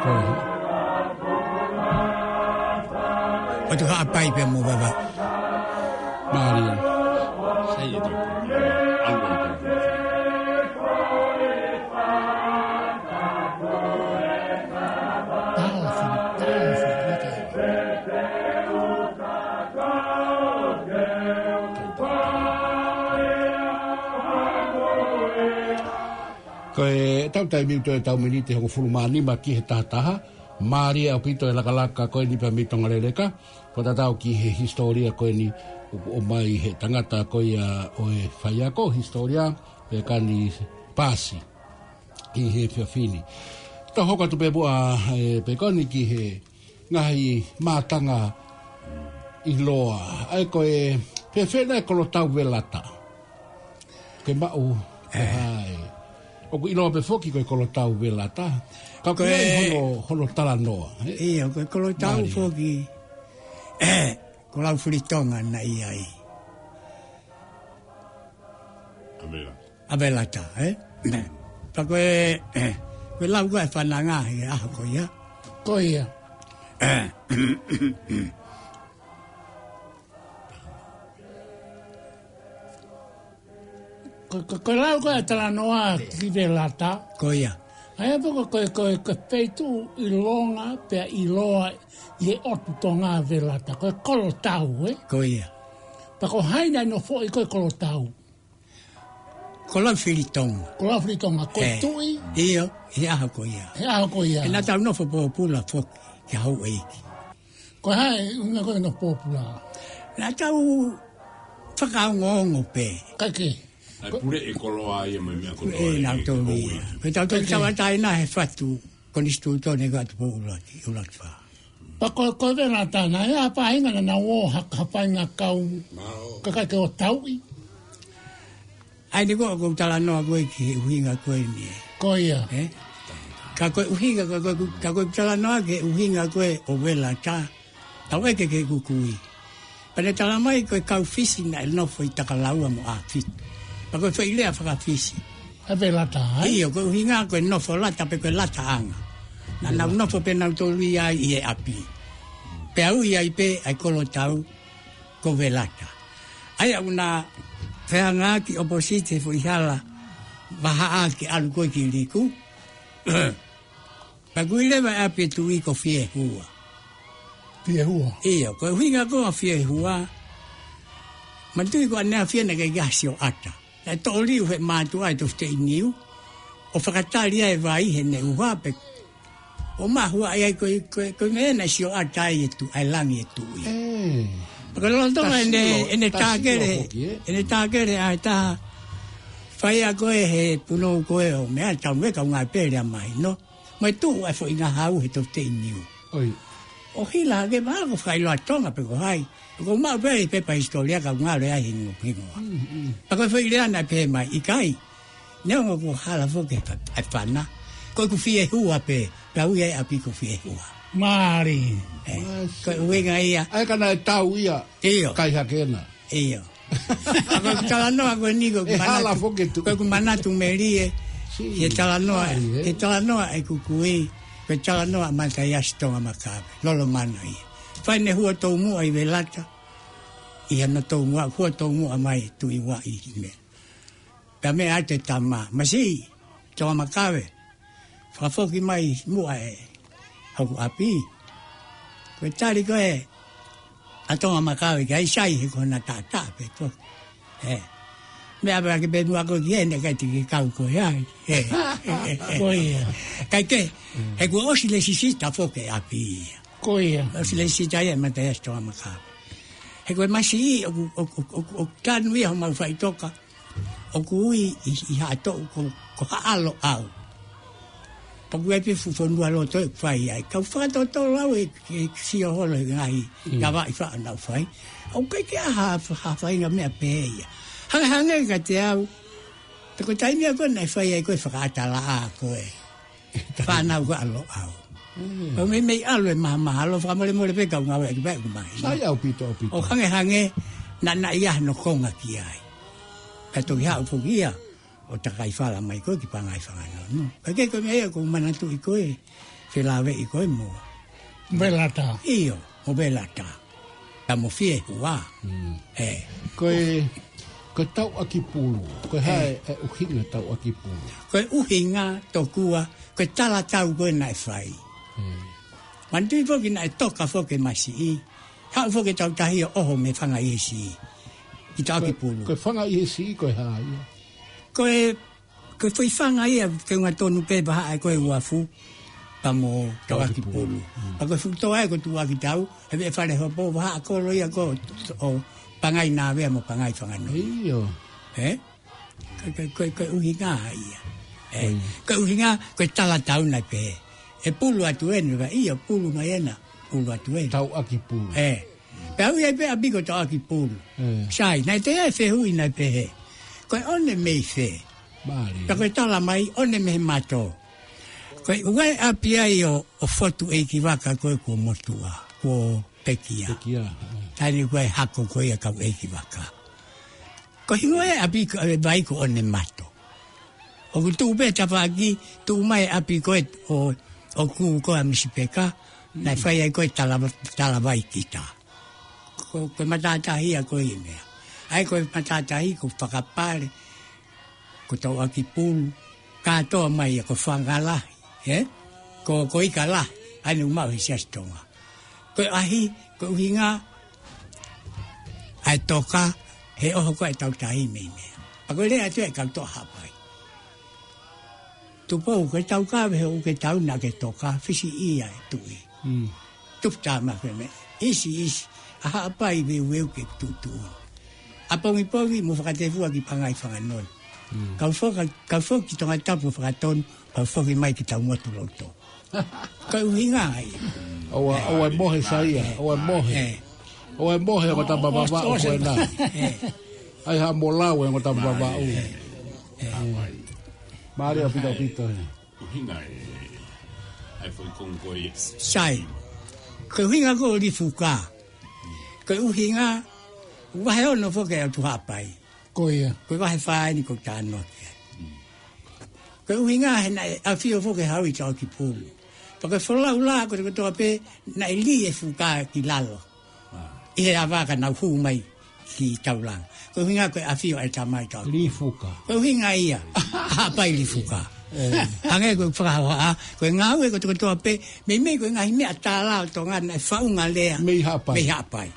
Ko. ʻOtu Haʻapai pea mo Vavaʻu. Mālie. Sai e tau. Alu e tau. Ko e tau taimi ʻoku toe tau miniti hongofulu mā nima ki he taha taha. Mālie ʻaupito e lakalaka ko eni pea mei Tonga Leleka. Ko e tatau ki he hisitōlia ko eni ʻoku ʻomai he tangata ko ia ʻo e faiako hisitōlia, Pekani Pasi, ki he efiafi ni. Tau hoko atu pē muʻa, e, Pekani, ki he ngaahi mātanga ʻiloa. ʻA ia ko e fēfē nai e kolotau velata? Ke maʻu, e, hai. ʻOku ʻiloa pē foki ko e kolotau velata. Ka ko e, hono, hono talanoa, e? ʻIo, ko e kolotau foki, e, ko Laufilitonga naʻe ʻi ai. ʻA velata, e? Pea ko e, e, ko e lau ko e fananga he ʻaho ko ia. Ko ia. E. Ko, ko, ko e lau ko e talanoa ki velata. Ko ia. ʻA ia pē ko, ko, ko, ko e feituʻu ʻilonga pea ʻiloa ʻi he ʻotu Tonga velata. Ko e kolotau, e? Ko ia. Pea ko hai naʻe nofoʻi ko e kolotau? Ko Laufilitonga. Ko Laufilitonga, ko e tuʻi. ʻIo, he ʻaho ko ia. He ʻaho ko ia. He naʻa tau nofo pōpula foki, ki he houʻeiki. Ko hai, ʻuhinga ko e nofo pōpula? Naʻa tau fakaongoongo pē. Kae kehe. ʻA e pule e koloa ia mai meʻa ko e, e, nau tolu ia. Ko e tau tolu tauʻatāina he fatu konisitūtone ko atu pō ʻuluaki, ʻuluaki fā. Pea ko, ko e velata naʻe ʻi ai ha faʻahinga naʻa nau ō ha, ha faʻahinga kau kakai ke ō tauʻi. ʻA ia ko, ko e talanoa ko e ki he ʻuhinga ko eni, e. Ko ia. E? Ka ko e ʻuhinga, ka ko e, ka ko e talanoa ki he ʻuhinga ko e ʻo velata. Tau ʻeke ki he kukui. Pea ne talamai ko e kau Fisi naʻe nofo ʻi Takalaua mo ʻAfito. Pea ko e foʻi lea faka-Fisi. ʻA e velata, e? ʻIo, ko e ʻuhinga ko e nofo lata pe ko e lataʻanga. Naʻa nau nofo pē nau tolu ia ʻi he ʻapi. Pea ui ai pē ʻa e kolotau ko Velata. ʻA ia ʻoku na fehangaaki ʻoposite he foʻi hala vahaʻa ke ʻalu ko ē ki Liku. Pea ʻoku ui leva e ʻapi e tuʻi ko Fiehua. Fiehua. ʻIo, ko e ʻuhinga ko e Fiehua. Manatuʻi ko ʻaneafi naʻe ʻikai ke ʻi ai ha sioʻata. Naʻe toʻo liʻu he mātuʻa ʻi he tofuteʻi niu ʻo fakatali ai e vai heʻene ʻuha pē. ʻO mahua ai ko e, ko e, ko e meʻa naʻe sioʻata ai e tuʻi, ʻa e langi e tuʻi. Ē. Pea ko e lolotonga ʻene, ʻene tākele, ʻene tākele ʻa e taha faiako ē he punou ko ē ʻo meʻa tau me kaungā pele a mahino. Mo e tuʻu ʻa e foʻi ngahau he tofuteʻi niu. ʻOi. ʻO hila hake, mahalo ko e fakaʻiloa Tonga pe ko hai. Ko e maʻu pē ʻi he pepa hisitōlia ka ngalo ai hingoa, hingoa. Mm, mm. Pea ko e foʻi lea naʻe pehē mai, ʻikai. Neongo ko e hala foki ʻa e fana. Ko ʻeku Fiehua pē, pea ui ai e ʻapi ko Fiehua. Mālie. Ē, ko e ʻuhinga ia. ʻA ia ka naʻe tau ia. ʻIo. Kai hake na. ʻIo. ʻA ko e talanoa ko eni ko e manatu, ko ʻeku manatu melie. He talanoa, he talanoa ʻeku kui, ko e talanoa Mataiasi Tongamakawe, Lolomano ia. Fai ʻene hua toumuʻa ʻi Velata, ʻi hano toumuʻa, hua toumuʻa mai Tuʻi Uaʻi ʻi meʻa. Pea meʻa atu e tama, masiʻi, Tongamakawe. Fakafoki mai muʻa ē hoku ʻapi. Ko e tali ko ē ʻa Tongamakawe ki ai, sai he ko hona taʻataʻa pē ko. Ē. Meʻa pē ake pē muʻa ko ki ʻene kai tiki kau ko e ai. Ē. Ko ia. Kae kehe, he kuo ʻosi lesisita foki e ʻapi ia. Ko ia. ʻOsi lesisita ia ʻe Mataiasi Tongamakawe. He ko e masiʻi ʻoku, ʻoku, ʻoku, ʻoku, ʻoku tanu ia homau faʻitoka. ʻOku ui ʻi, ʻi Haʻatoʻu ko, ko Haʻaloʻau. Pea ʻoku ʻi ai pē fuʻu fonua loto ʻe fai ai. Kau fakatotolo au ʻe, ʻe sio holo he ngaahi kavaʻi faʻa naʻu fai. ʻOku ʻikai ke ʻi ai ha, ha faʻahinga meʻa pehē ia. Hangehangē kiate au. Pea ko e taimi ia ko ē naʻe fai ai ko e fakaʻatalaʻā ko ē fānau ko Haʻaloʻau. Mm. Pea meimei ʻalu e mahamahalo, fakamolemole pē kau ngāueʻaki pē ʻeku mahino. Sai ʻaupito, ʻaupito. ʻO hangehangē naʻa, naʻe ʻi ai hano konga ki ai. Pea toki haʻu foki ia ʻo takai fala mai ko ē ki Pangai Fanganono. Kae kehe ko e meʻa ia ʻoku ou manatuʻi ko ē, felāveʻi ko ē mo Velata. ʻIo, mo Velata. Ka mo Fiehua. Mm. Ē. Ko e, ko e tauʻaki pulu. Ko e hā e ʻuhinga tauʻaki pulu? Ko e ʻuhinga tokua, ko e talatau ko ē naʻe fai. Mm. Manatuʻi foki naʻe toka foki e masiʻi. Haʻu foki e tautahi ʻo ʻoho mei Fangaiesi. ʻI tauʻaki pulu. Ko e, ko e Fangaiesi, ko e hā ia? Ko e Ko e foʻi fanga ia, ke unga tonu pē vahaʻa ko e uafu, pea mo Tauʻakipulu. Tauʻakipulu. Mm. Pea ko e fuʻu toa ia ko Tuʻuakitau, he veʻe Falehopo, vahaʻa kolo ia ko ʻo Pangai Navea mo Pangai Fanganui. ʻIo. Ē? Ko, ko, ko, ko e ʻuhinga ia. Ē, ʻio. Ko e ʻuhinga, ko e talatau naʻe pehē. ʻE pulu atu eni, ʻio, pulu mai ena, pulu atu eni. Tauʻakipulu. Ē. Pea ui ai pē ʻapi ko Tauʻakipulu. Ē. Sai, naʻe toe ʻi ai e fehuʻi naʻe pehē. Ko e ʻone mei fē? Mālie. Pea ko e tala mai, ʻone mei he mato. Ko e ʻuhinga e ʻapi ai ʻo, ʻo Fotu ʻEikivaka ko ē kuo motuʻa, kuo pekia. Pekia, ē. Taimi ko ē hako ko ia kau ʻEikivaka. Ko e hingoa e ʻapi ko, e vai ko ʻOnemato. ʻOku tuʻu pē tafaʻaki, tuʻu mai e ʻapi ko ē ʻo, ʻo kū ko ē ʻa Misi Peka, naʻe fai ai ko ē tala, tala vai kita. Ko, ko e matātahi ia ko e meʻa. ʻA ia ko e matātahi ko Fakapale, ko Tauʻakipulu, kātoa mai ia ko Fangalahi, ē? Ko, ko Ikalahi, ʻa ia naʻe maʻu he Siasi Tonga. Ko e ʻahi, ko e ʻuhinga, ʻa e toka, he ʻoho ko ē ʻetau tahi mei meʻa. Pea ko e lea atu e kau toʻa Haʻapai. Tupou, ko e tau kave he ʻoku ke tau naʻa ke toka, fisi ia e tuʻi. Mm. Tupu tā ma ko e meʻa. ʻIsi, ʻisi, ʻa Haʻapai veuveu ke tuʻutuʻuni. ʻApongipongi mo fakatefua ki Pangai Fanganui. Mm. Kau foka, kau foki ki Tongatapu fakatonu, kau foki mai ki Taumotu louto. Ko e ʻuhinga ia. ʻOua, ʻoua ʻe mohe Saia, ʻoua ʻe mohe. Ē. ʻOua ʻe mohe ongo tama vavaʻu ko ena. Ē. ʻAi ha molau e ongo tama vavaʻu. Ē. Mālie ʻaupito ʻaupito, ē. ʻUhinga e, ʻa e foʻi konga ko ia. Sai. Ko e ʻuhinga ko Lifuka. Ko e ʻuhinga, vahe ono foki ʻa Tuʻu Haʻapai. Ko ia. Ko e vahe fā eni ko Tānoa ki ai. Ko e ʻuhinga he naʻe ʻafio foki e Hau ʻi Tauʻakipulu. Pea ko e folau lā kotoa kotoa pē naʻe lī e fuka ki lalo. ʻI he ʻava ka nau hū mai ki Taulanga. Ko e ʻuhinga ko e ʻafio e tamai Tauʻakipulu. Lifuka. Ko e ʻuhinga ia. Haʻapai Lifuka. Ē. Hangē ko e fakahohaʻa, ko e ngāue kotoa kotoa pē, meimei ko e ngaahi meʻa tālā ʻo Tonga naʻe faʻunga lea. Mei Haʻapai. Mei Haʻapai.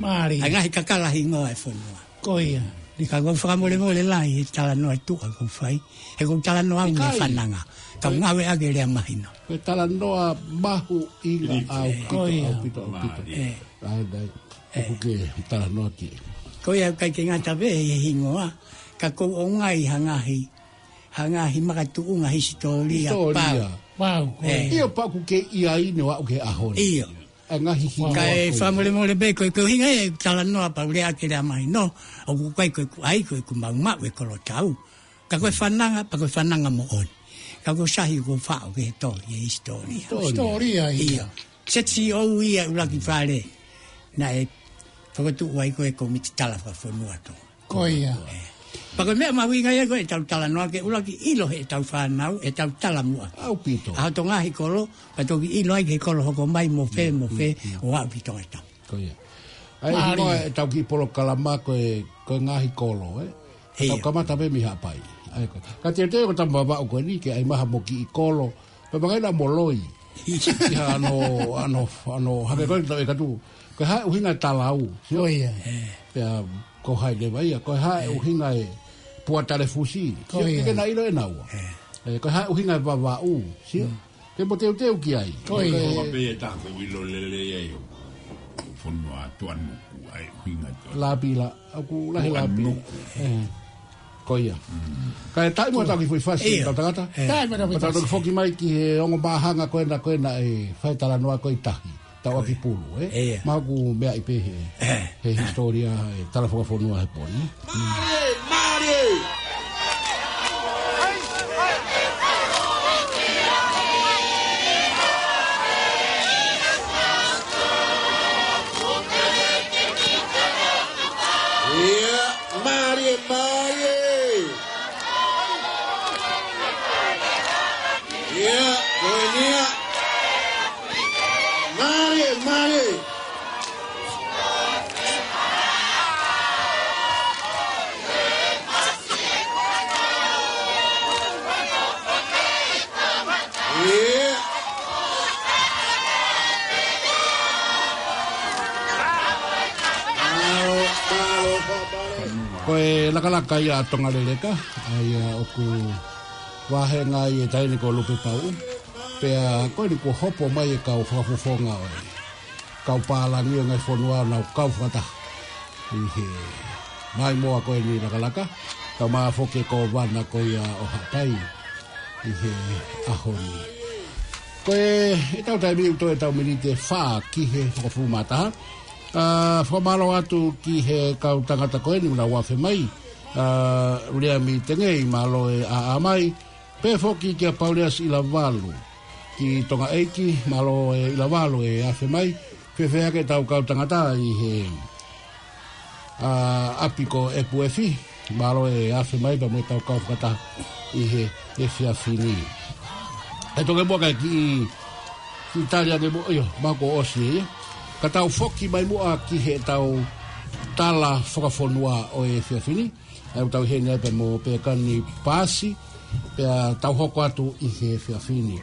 Mālie. ʻA e ngaahi kakala hingoa e fonua. Ko ia. Ni ka kou fakamolemole lahi he talanoa tuʻa kou fai. He kou talanoa au mei fananga. Kau ngāue ake lea mahino. Ko e talanoa mahuʻinga ʻaupito, ʻaupito, ʻaupito. Ē. ʻA e dai. ʻOku ke talanoa ki. Ko ia kai ke ngata pē he hingoa. Ka kou ʻoange ha ngaahi, ha ngaahi makatuʻunga hisitōlia. Hisitōlia. Pau. Pau, ko ia. ʻIo pau ʻoku ke ʻi ai ʻo aʻu ki he ʻaho ni. ʻIo. ʻA e ngaahi hingoa. Kae fakamolemole pē, ko e, ko e ʻuhinga e talanoa pau lea ake lea mahino, ʻoku ʻikai ko ʻeku ʻai, ko ʻeku maʻumaʻu e kolo tau. Ka ko e fananga, pea ko e fananga moʻoni. Ka ko e sahi ko faʻo ke he tohi e hisitōlia. Hisitōlia ia. ʻIo. Seti o ia ʻUluaki Fale. Naʻe fakatuʻu ai ko e komiti tala fakafonua tō. Ko ia. Ē. Pea ko e meʻa mahuʻinga ia ko ʻetau talanoa ke ʻuluaki ʻilo heʻetau fānau, ʻetau talamuʻa. ʻAupito. ʻA hoto ngaahi kolo, pea toki ʻilo ai ki he kolo hoko mai mo fē, mo fē, ʻo aʻu ki Tongatapu. Ko ia. ʻA e hingoa ʻetau kiʻi polokalama ko e, ko e ngaahi kolo, ē? ʻIo. Tau kamata pē mei Haʻapai. ʻA ia ko. Ka teuteu ko tama vavaʻu ko eni, ke ʻai mai ha mo kiʻi kolo, pea vakai naʻa mo loi. ʻI ha ano, ano, ano, hake ko e tau e katu. Ko e hā e ʻuhinga e talau. Sio? Ko ia. Pea ko hai leva ia. Ko e hā e ʻuhinga e puatalefusi. Sio? Ko ia. Ke na ʻilo ʻe naua. Ē, ko e hā e ʻuhinga e vavaʻu. Sio? Ke mo teuteu ki ai. Ko ia. Ko ia. Ko e pē e taha kou ʻilo lelei ai ʻo fonua Tuʻanuku, ʻa e ʻuhinga Tuʻanuku. Lapila. ʻOku lahi lapi. Tuʻanuku. Ē. Ko ia. Kae taʻi mo tau ki foʻi fasi, ʻio, tau tangata. Ē. Taʻi mo tau ki foʻi fasi. Tau toki foki mai ki he ongo māhanga ko ena, ko ena e fai talanoa ko e tahi. Tauʻakipulu, ē? ʻIo. Mahalo ʻoku meaʻi pē he, ē, he hisitōlia, e tala fakafonua he pō ni. Mālie, mālie! ʻIo, mālie, mālie. ʻIo, ko eni ia. Mālie, mālie. ʻIo. Mālō, mālō, mālō. Ko e lakalaka ia ʻa Tonga Leleka, ʻa ia ʻoku Vahenga ʻi he taʻahine ko Lupe Pau. Pea ko eni kuo hopo mai e kau fakafofonga ʻo e kau pālangi ʻo e ngaahi fonua ʻo nau kau fakataha ʻi he maimoa ko eni lakalaka. Tau mafoke ko Vana ko ia ʻo Haʻapai ʻi he ʻaho ni. Ko e, ʻetau taimi ʻoku toe ʻetau miniti ʻe fā ki he hongofulu mā taha. ʻA, fakamālō atu ki he kau tangata ko eni ʻoku nau afe mai. ʻA, Uliami Tengei, mālō e ʻaʻa mai. Pehē foki kia Pauleasi ʻIlavalu ki Tonga ʻEiki, mālō e ʻIlavalu e afe mai. Fēfē hake ʻetau kau tangata ʻi he, ʻa, ʻapi ko ʻEpu Efi, mālō e afe mai pea mo ʻetau kau fakataha ʻi he efiafi ni. ʻE toki muʻa kae kiʻi, kiʻi tali ange muʻa, ʻio, mahalo kuo ʻosi ia. Ka tau foki mai muʻa ki heʻetau tala fakafonua ʻo e efiafi ni. ʻA ia ʻoku tau ʻi heni ai pea mo Pekani Paasi, pea tau hoko atu ʻi he efiafi ni.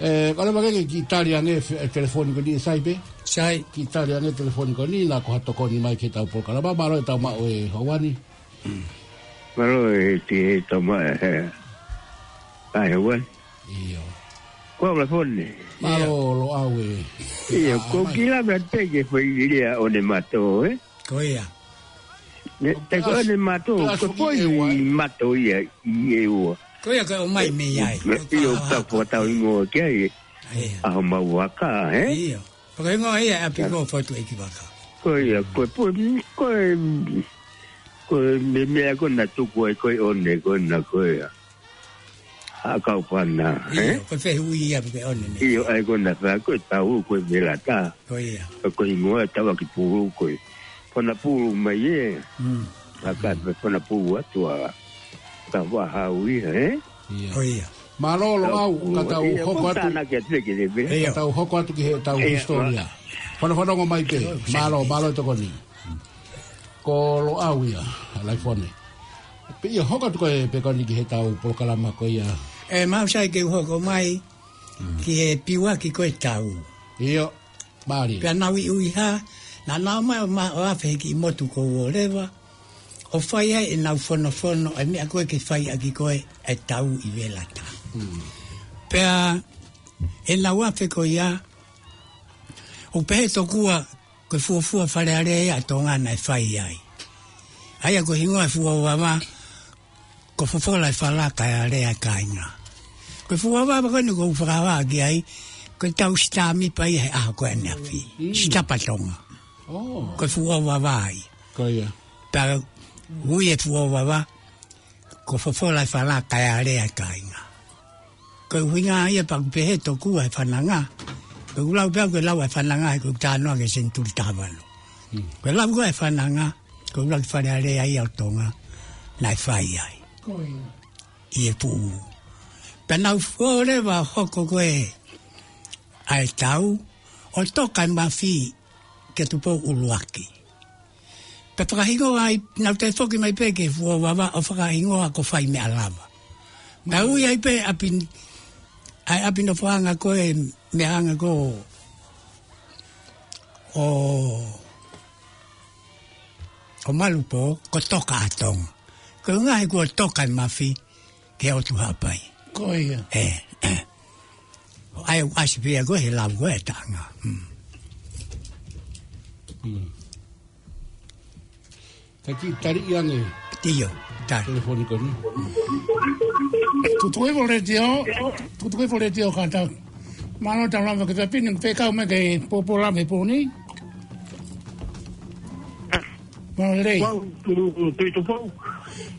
ʻE, ka leva ke kiʻi tali ange e fe-, e telefoni ko eni ʻe Sai pē? Sai. Kiʻi tali ange e telefoni ko eni, naʻa ko ha tokoni mai ki heʻetau polokalama, mālō e tau maʻu e houa ni. Mālō e ti e tau maʻu e, ʻa e houa ni. ʻIo. Ko e telefoni. Mālō, ʻio. Loʻau e. ʻIo, ʻa, ko mai. Kila me te ke fai lea ʻo ne mato, ē? Ko ia. Ne, te ko ne mato, ko poi mato ia, ʻi e ua. Ko ia ko e ʻomai mei ai. ʻIo, ka fua tau ingoa ki ai. Ia. ʻAho mau vaka, ē? ʻIo. Fakaingoa ia ʻapi ko Fotu ʻEiki Vaka. Ko ia, ko e poi, ko e, ko e me, meʻa ko na tuku ai ko e ʻone, ko na ko ia. ʻA e kau pana, ē? ʻIo, ko e fehuʻi ia pe ko e ʻone mei. ʻIo, ʻa ia ko na fai, ko e tau, ko e velata. Ko ia. Ko e hingoa e tau ʻaki pulu, ko e. Pana pulu mai ē. Mm. ʻA ka pe pana pulu atu ʻa. Ka vahau ia, ē? ʻIo. Ko ia. Mālō, Loʻau, ka tau hoko atu. Ia, ko e tānaki atu ki he vē. ʻIo. Ka tau hoko atu ki heʻetau hisitolia. Fanafanongo mai pē. Mālō, mālō e tokoni. Ko Loʻau ia, ʻa Laifone. Pea ʻio, hoko atu koe Pekani ki heʻetau polokalama ko ia. ʻE, mau sai ke u hoko mai, ki he piuaki ko e tau. ʻIo, mālie. Pea nau ʻi ʻUiha, naʻa nau ō mai ʻo ma-, ʻo afe he kiʻi motu ko Uoleva, ʻo fai ai ʻenau fonofono, e meʻa ko ē ke fai ʻaki ko ē e tau ʻi Velata. Mm. Pea, ʻenau afe ko ia, ʻoku pehē tokua, ko e fuofua Fale Alea ia ʻa Tonga naʻe fai ai. ʻA ia ko e hingoa e fuofua vava, ko Fofola e Fala kae Alea e Kāinga. Ko e fuofua vava ko eni ʻoku ou fakahā ki ai, ko e tau sitāmipa ia he ʻaho ko ē ʻaneafi. Mm. Sitapa Tonga. Oh. Ko e fuofua vava ia. Ko ia. Pea ui e fuofua vava, ko Fofola e Fala kae Alea e Kāinga. Ko e ʻuhinga ia pea ʻoku pehē tokua e fananga. Ko e ʻulau pea ko e lau e fananga, he ko e talanoa ki he senituli taha valu. Hmm. Ko e lau ko ē e fananga, ko e ʻulau ki Fale Alea ia ʻo Tonga, naʻe fai ai. Ko ia. ʻI he puʻu. Pea nau ō leva ʻo hoko ko ē ʻa e tau, ʻo toka e mafi kia Tupou ʻUluaki. Pea fakahingoa ai, nau toe foki mai pē ki he fuofua vava ʻo fakahingoa ko Faimeʻalava. Pea ui ai pē ʻapi, ʻa e ʻapi nofoʻanga ko e meʻaʻanga ko ē ʻo, ʻo Malupo, ko Toka ʻa Tonga. Ko e ʻuhinga he kuo toka e mafi, ki he ʻotu Haʻapai. Ko ia. ʻE, ʻe. ʻA ia ʻoku ʻasi pē ia ko ē he lau ko ē e taʻanga. Mm. Mm. Ka kiʻi tali ange. ʻIo, tali. Telefoni ko eni. Tutuivo Letiō, Tutuivo Letiō kātaki. Mālō tau lava ke tapini, fekau mai ke pōpō lava he pō ni. Mālō lelei. Tuʻi Tupou.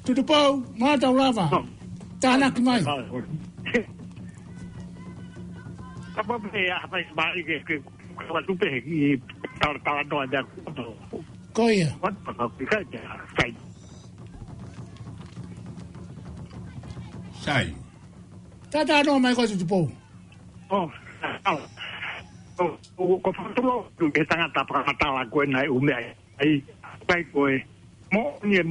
Tuʻi Tupou, mālō tau lava. Oh. Tānaki mai. Kapa pē ʻa mai mai ke, ke, kapa tupe ki tala, talanoa de acordo. Ko ia. What the fuck, we got there. Sai. Sai. Tātā noa mai ko Tuʻi Tupou. Oh, oh, oh, ko Fatulo, ke tangata fakamatala ko ē naʻe ʻumeʻa ai, kai ko ē, mo ni e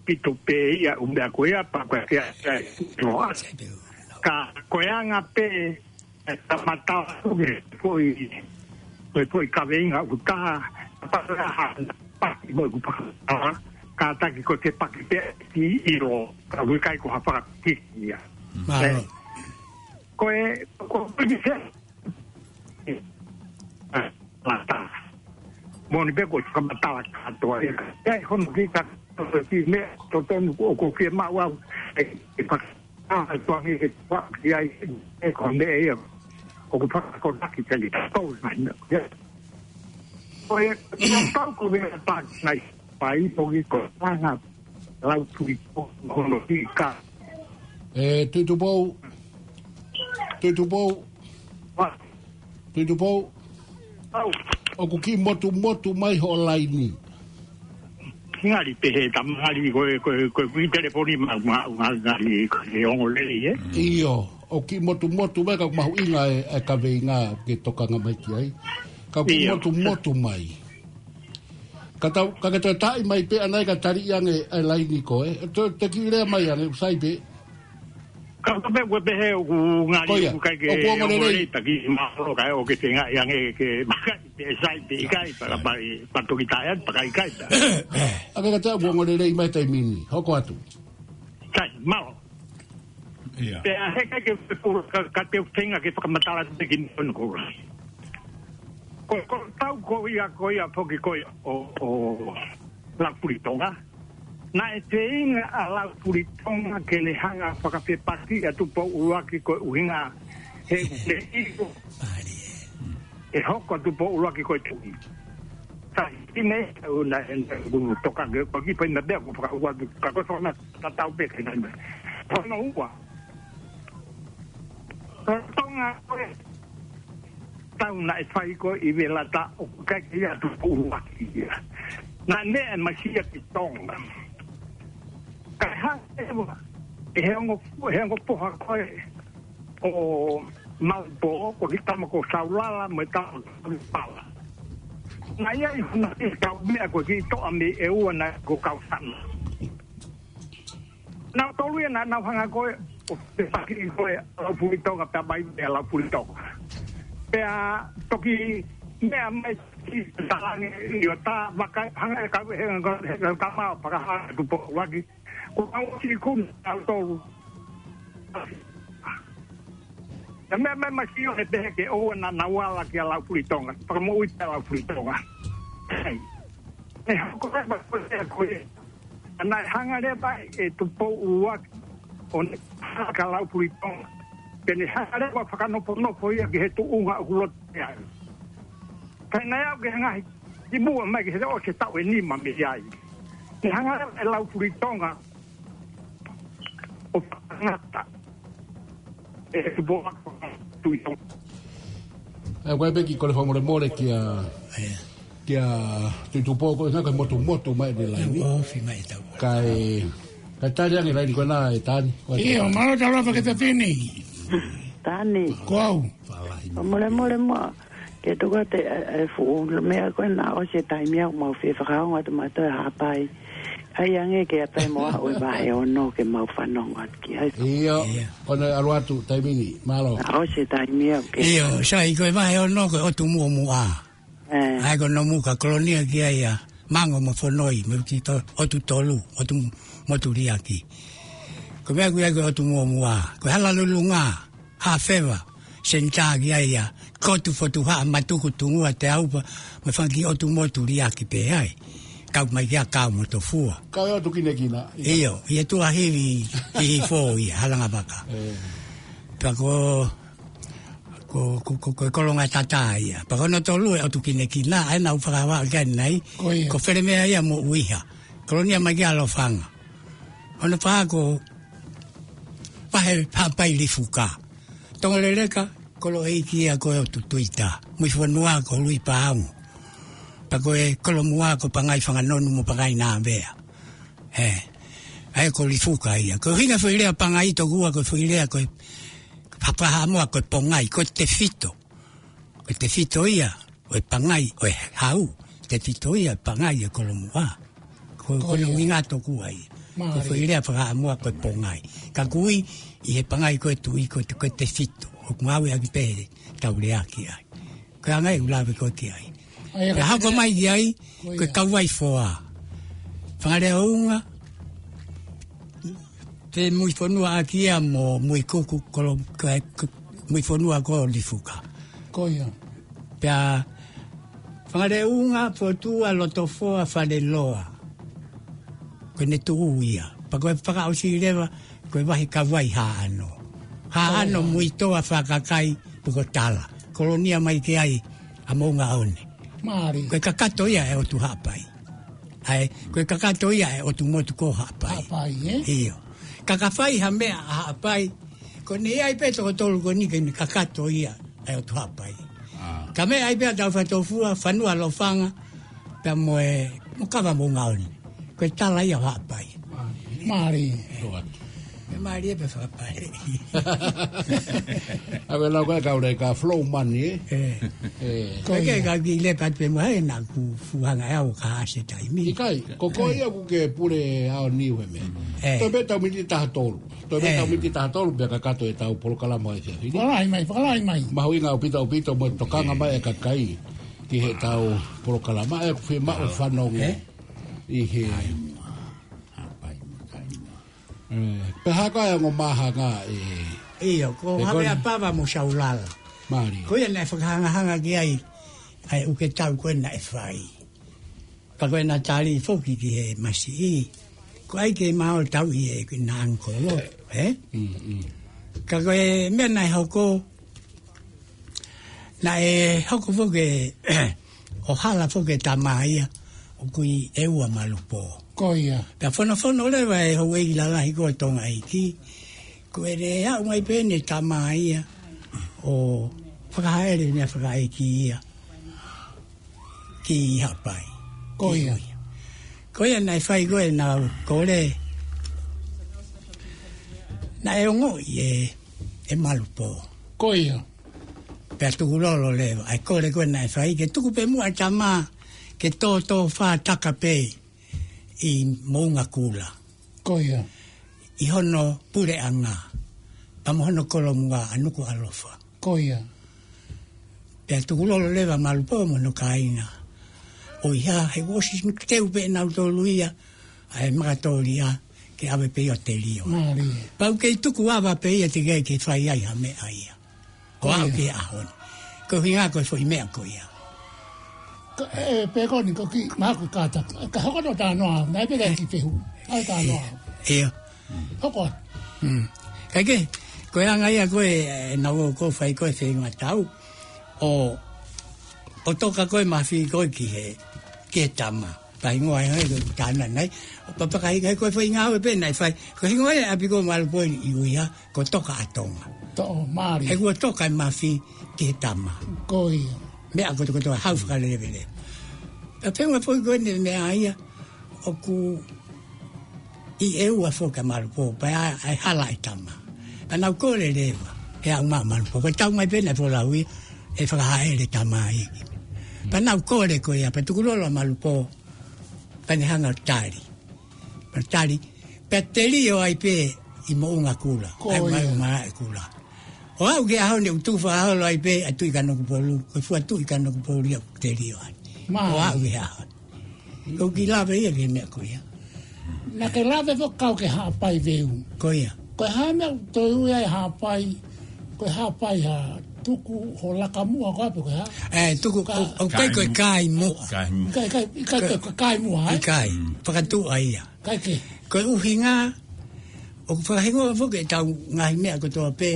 pito pē ia ʻumeʻa ko ia, pea ko e kia, kia, noa. Ka ko e anga pē, e, ka matala ko ē, ko e, ko e, ko e kaveinga ʻoku taha, pea ko e hā, paki mo ʻeku paka, kātaki ko e ke paki pē, ki ʻilo, ka ʻoku ʻikai ko ha fakapiki ia. Mālō. Ko e, ko e, ko e, mata. Moʻoni pē ko e fakamatala kātoa. ʻE, hono ki ka, ki meʻa, totonu ko, ko ke maʻu au. ʻE, ʻe faka-, a, tuangi ke tuaki ai, ʻe ko meʻa ia. ʻOku fakakonaki tali tau mai na. Ia. Ko e, ko e tau ko meʻa pāki nai. Pai poki ko anga lau tui ko hono ki ka. ʻE, Tuitupou. Tuitupou. Ua. Tuitupou. Au. ʻOku kiʻi motumotu mai hoʻo laini. Ngali pehē tama ngali ko e, ko e, ko e, ko e telefoni ma, ma, ma, ngali ko e ongo lelei, ē? ʻIo, ʻoku kiʻi motumotu mai ka mahuʻinga e, e kaveinga ke tokanga mai ki ai. Ka ʻoku kiʻi ʻIo. motumotu mai. Ka tau, ka ke toe taʻi mai pē ʻanai ka tali ange e laini ko ē. Te, te kiʻi lea mai ange, ʻoku sai pē. Ka ko pē, ko pē he ʻoku ngali Ko ia, ʻoku kai ke ʻoku ongo ongo lelei. lelei, taki mahalo kai ʻoku ke tenga i ange ke makai, pē sai, pē ikai, paka pai, patoki tae atu, paka ikai, pē. Ake ka te ʻoku ongo lelei mai taimi ni, hoko atu. Sai, malo. Ia. Pea he kai ke, ka, ka te tenga ke fakamatala te ki ni kono ko. Ko, ko tau ko ia, ko ia poki ko ia ʻo, ʻo Laupuli Tonga. Naʻe feinga ʻa Laupuli Tonga ke ne hanga fakafepaki ʻa Tupou ʻUluaki ko e ʻuhinga he ʻuhinga ʻe hoko ʻa Tupou ʻUluaki ko e tuʻi. Sai, ine, ʻo na, ʻe, ʻe, ʻo toka ke, ko ki pai na bea, ko fakaua, ka ko sona, tatau pē ke na. Hono ua. Ko Tonga ko e tau naʻe fai ko ʻi Velata ʻoku ʻikai ke ʻi ai ha Tupou ʻUluaki ia. Naʻe meʻa mai ia ki Tonga. Kae hanga ʻe ua, ʻe he ongo, he ongo poha ko ē ʻo Maupō, ko e kiʻi tama ko Saulala, mo e tama ko Pala. Naʻe ʻi ai hona kiʻi kau meʻa ko e kiʻi toʻa mei ʻEua ʻa e ko Kausana. Naʻa nau tolu ia naʻa nau hanga ko ē, ʻo fepaki ko ē ʻa Laupuli Tonga pea mai pē ʻa Laupuli Tonga. Pea toki meʻa mai ki Talange ʻi ʻo tā vaka hanga ʻe kau he, he, he, he kamao paka hanga Tupou ʻUluaki. Ko au ki kuna au tolu. Na meʻa mai mai ki ʻo he pehē ke ʻoua naʻa nau ala kia Laupuli Tonga. Paka moʻui pē ʻa Laupuli Tonga. Hei. ʻE hoko mai ma ko e ko ē. ʻA naʻe hanga leva ʻe Tupou ʻUluaki ʻo ne haka Laupuli Tonga. Ke ne hanga leva fakanofonofo ia ki he tuʻunga ʻoku loto ai. Kae naʻe aʻu ke hanga ʻi muʻa mai ki he ʻosi e taʻu ʻe nima mei ai. Ne hanga leva ʻe Laupuli Tonga ʻo fakangata ʻe Tupou ʻUluaki Tuʻi Tonga. ʻE, ʻoku ʻai pē kiʻi kole fakamolemole kia, ʻIo. kia Tuitupou ko e ngaahi motumotu mai ʻene laini. ʻIo, ofi mai tau. Kae, kae tali ange laini ko ena ʻe Tani. ʻIo, mālō tau lava ke tatini. Tani. Ko au. Fakamolemole muʻa. Ke tuku atu e, e fuʻu meʻa ko ena ʻosi e taimi ʻoku mau fie fakaongo atu mautolu ʻe Haʻapai. ʻAi ange ke ʻapai mo aʻu e vahe ono ke mau fanongo atu ki ai. ʻIo, ʻIo. ʻo ne ʻalu atu taimi ni, mālō. ʻOsi e taimi ʻoku ke. ʻIo, sai ko e vahe ono ko e ʻOtu Muʻomuʻa. ʻE. ʻAi ko Nomuka Kolonia ki ai ʻa Mango mo Fonoi, mo ki to, ʻOtu Tolu, ʻOtu Motu Liaki. Ko e meʻa ʻoku ʻi ai ko e ʻOtu Muʻomuʻa, ko e Hala Lulunga, Hafeva, Senitā ki ai ʻa Kotu Fotuhaʻa, Matuku, Tungua, Teaupa, mo e fanga kiʻi ʻOtu Motu Liaki pē ai. Kau mai kia Kau mo Tofua. Kau ʻOtu Kinekina, ia. ʻIo, ʻi he tuʻa hivi, ʻi Hihifo ia, Halangavaka. ʻE. Pea ko, ko, ko, ko, ko e Kolongatata ia. Pea ko hono tolu e ʻOtu Kinekina, ʻa ena ʻoku fakahā ki ai ʻanenai. Ko ia. Ko Felemea ia mo ʻUiha. Kolonia mai kia Lofanga. Hono fā ko Vahe Haʻapai Lifuka. Tonga Leleka, kolo ʻeiki ia ko e ʻOtu Tuita. Muifonua ko Lui Paongo. Pea ko e Kolomua ko Pangai Fanganonu mo Pangai Navea. ʻE, ʻa ia ko Lifuka ia. Ko e ʻuhinga foʻi lea Pangai tokua ko e foʻi lea ko e Haʻapai Haʻamoa ko e pongai, ko e tefito. Ko e tefito ia ʻo e pangai, ʻo e hau, tefito ia ʻo e pangai ʻo e Kolomua. Ko, ko hono ʻuhinga tokua ia. Mālie. Ko e foʻi lea fakaʻamoa ko e pongai. Ka ʻoku ui ʻe he pangai ko e tuʻi ko e, ko e tefito. ʻOku ngāueʻaki pē he tau lea ki ai. Ko e anga ia ʻoku lave ko ē ki ai. ʻA ia, pea hoko mai ki ai, ko e kauvai foa. Fanga lea ʻo unga, Femuifonua ʻaki ia mo Muikuku, kolo, ko, ko, Muifonua ko Lifuka. Ko ia. Pea Fangaleunga, Fotua, Lotofoa, Faleloa. Ko ʻene tuʻu ia. Pea ko e fakaʻosi leva, ko e vahi Kavai Haʻano. Haʻano, Muitoa, Fakakai, Pukotala. Kolonia mai ki ai ʻa Moʻungaone. Mālie. Ko e kakato ia ʻo e ʻOtu Haʻapai. ʻA e, ko e kakato ia ʻo e ʻOtu Motu ko Haʻapai. Haʻapai, ē? ʻIo. Ka ka fai ha meʻa ʻa Haʻapai, ko ʻene ʻi ai pē toko tolu ko eni ke ne kakato ia ʻa e ʻOtu Haʻapai. Ka meʻa ai pē ʻa Taufatofua, Fanua Lofanga, pea mo e, mo Kava Moʻungaone. Ko e tala ia ʻo Haʻapai. Mālie. Mālie pē fakapale. ʻA e lau ko e kau leka flow money, ē? ʻE. Ko ia. Ke ka ki le pat pe mo hai na ku fuhanga ʻe au ka hase taimi. ʻIkai, ko koe ia ʻoku ke pule ʻaho ni he meʻa. ʻE. Toe pē tau miniti taha tolu. Toe pē tau miniti taha tolu pea kakato ʻetau polokalama ʻi he efiafi ni. Fakalahi mai, fakalahi mai. Mahuʻinga ʻaupito ʻaupito mo e tokanga mai ʻa e kakai ki heʻetau polokalama ʻoku fiemaʻu fanongo ʻi he. ʻE, pea hā ko e ongo māhanga ē? ʻIo, ko Havea Pava mo Saulala. Mālie. Ko ia naʻe fakahangahanga ki ai ʻa e uke tau ko ē naʻe fai. Pea ko ʻena tali foki ki he masiʻi. Ko ai ke mau tau ʻi he ki na ankolo, ē? Ka ko e meʻa naʻe hoko, naʻe hoko foki ʻo hala foki e tama ia ʻoku ʻi ʻEua Malupō. Ko ia. Pea fonofono leva ʻe houʻeiki lalahi ko Tonga ʻEiki. Ko e lea mai pē ʻene tama ia ʻo fakahaʻele meʻa fakaʻeiki ia ki Haʻapai. Ko ia. Ko ia naʻe fai ko ē naʻa ku kole. Naʻe ongoʻi ʻe, ʻe Malupō. Ko ia. Pea tukulolo leva, ʻa e kole ko ē naʻe fai, ke tuku pē muʻa e tama, ke tōtō fātaka pē ʻi Moʻungakula. Ko ia. ʻI hono puleʻanga, pea mo hono kolomuʻa ʻa Nukuʻalofa. Ko ia. Pea tukulolo leva Malupō mo hono kāinga. ʻOiauē, he ʻosi teu pē nautolu ia, ʻa e makatōlia, ke ʻave pē ia ʻo telio. Mālie. Pau kei tuku ava pē ia teʻeki ai ke fai ai ha meʻa ia. Ko ia. Ko e ʻaho ni. Ko e ʻuhinga ko e foʻi meʻa ko ia. Ka, ē, pē ko eni ko ki, maku kata. Ka hoko no ta noa, naʻe pē ki fehu. Ai ta noa. ʻIo. Hoko. Mm. Kae kehe, ko e anga ia ko ē, ē, naʻa ku fai ko ē feinga tau. ʻO, ʻo toka ko ē mafi ko ē ki he, ki he tama. Pea hingoa ai ko e tana nai. ʻO papaka hinga ko e fai ngāue pē naʻe fai. Ko e hingoa ʻe ʻapi ko Malupō ʻi ʻUiha, ko Toka ʻa Tonga. Toʻo, mālie. He kuo toka e mafi ki he tama. Ko ia. Meʻa kotokotoa hau fakalelevele. Pea pehē mai foki ko ʻene meʻa ia, ʻoku ʻi ʻEua foki ʻa Malupō, pea ʻa e hala e tama. Pea naʻa ku kole leva, he ʻa Malupō. Ko e tau mai pē naʻe folau ia, ʻe fakahaʻele tama ʻEiki. Pea naʻa ku kole ko ia, pea tukulolo ʻa Malupō, pea ne hanga ʻo tali. Pea tali, pea telio ai pē ʻi Moʻungakula. Ko ia. ʻAi mai Malaʻekula. ʻO aʻu ki he ʻaho ni ʻoku tufa holo ai pē ʻa Tuʻi Kanokupolu, ko e fua Tuʻi Kanokupolu ia ʻoku telio ai. Mālie. ʻO aʻu ki he ʻaho ni. Ko e kiʻi lave ia ki he meʻa ko ia. Naʻa ke lave foki kau ki he Haʻapai veu. Ko ia. Ko e hā e meʻa ʻoku toe ui ai Haʻapai, ko e Haʻapai ha tuku ho laka muʻa ko ē pe ko e hā? ʻE, tuku, ka, ʻo, ʻoku ʻikai ko e kai muʻa. Kai muʻa. ʻIkai, ʻikai, ʻikai ko e kai muʻa, ē? ʻIkai. Mm. Fakatuʻa ia. ʻIkai ke. Ko e ʻuhinga, ʻoku fakahingoa foki ʻetau ngaahi meʻa kotoa pē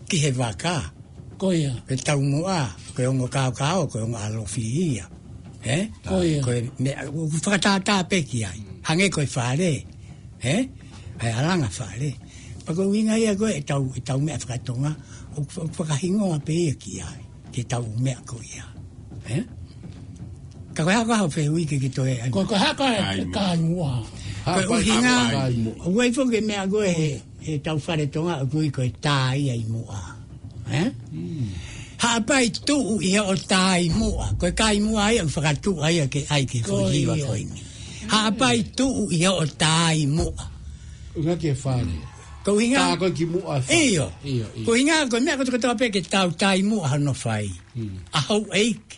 ki he vaka. Ko ia. Ko e taumuʻa, ko e ongo kaokao, ko e ongo ʻalofi ia. Ē? Ko ia. Ko e meʻa, ʻoku fakatātā pē ki ai. Hangē ko e fale. Ē? ʻA e ʻalanga fale. Pea ko e ʻuhinga ia ko ē ʻetau, ʻetau meʻa fakatonga, ʻoku fa-, ʻoku fakahingoa pē ia ki ai. Ke tau meʻa ko ia. Ē? Ka ko e hā ko ā hoʻo fehuʻi ke ke toe ai. Ko, ko e hā ko ē kai muʻa. Kai muʻa. Ko e ʻuhinga, kai muʻa. ʻOku ʻi ai foki e meʻa ko ē he, he tau fale Tonga ʻoku ui ko e tā ia ʻi muʻa. Ē? Mm. Haʻapai tuʻu ʻi hoʻo tā ʻi muʻa. Ko e kai muʻa ia, fakatuʻa ia ke ʻai ke ko ia. Ko e hiva ko eni. Haʻapai tuʻu ʻi hoʻo tā ʻi muʻa. ʻUhinga ki he fale. Ko e ʻuhinga. Tā ko ē ki muʻa e fale. ʻIo. ʻIo, ʻio. Ko e ʻuhinga, ko e meʻa kotokotoa pē ke tau tā ʻi muʻa hono fai. Mm. ʻA houʻeiki,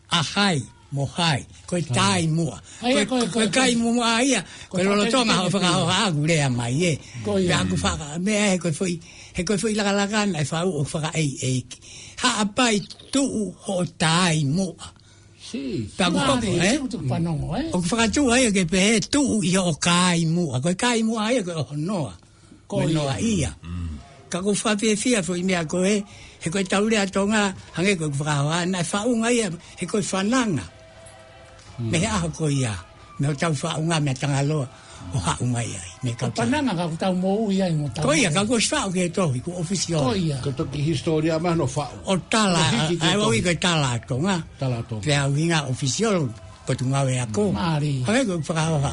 ʻa hai, Mo hai, ko e tai muʻa. Ko e, ko e kai muʻa ia, ko e lolotonga hoʻo fakahoha ʻaku lea mai ē. Pea ʻoku faka-, meʻa he ko e foʻi, he ko e foʻi lakalaka naʻe faʻu ʻo fakaʻeiʻeiki. Haʻapai tuʻu hoʻo tai muʻa. Pea ʻoku, ē? ʻOku fakatuʻu ai ke pehē tuʻu ʻi hoʻo kai muʻa. Ko e kai muʻa ia ko e ʻohonoa. Ko ia. Noa ia. Ka ʻoku ou fakafiefia foʻi meʻa ko ē, he ko e tau lea Tonga, hangē ko ʻeku fakahoha, naʻe faʻunga ia, he ko e fananga. Mei he ʻaho ko ia, mei hotau faʻunga, mei Tangaloa, ʻo haʻu mai ai, mei kau fananga ka ʻoku tau moʻui ai mo tau. Ko ia, ka ʻoku ʻosi faʻu ki he tohi, ko e official. Ko ia. Ko e toki hisitōlia mai hono faʻu. ʻO tala, ʻa, ʻa, ʻo ui ko e tala Tonga. Tala Tonga. Pea ʻuhinga official, Potungāue Ako. Mālie. Hangē ko ʻeku fakahoha.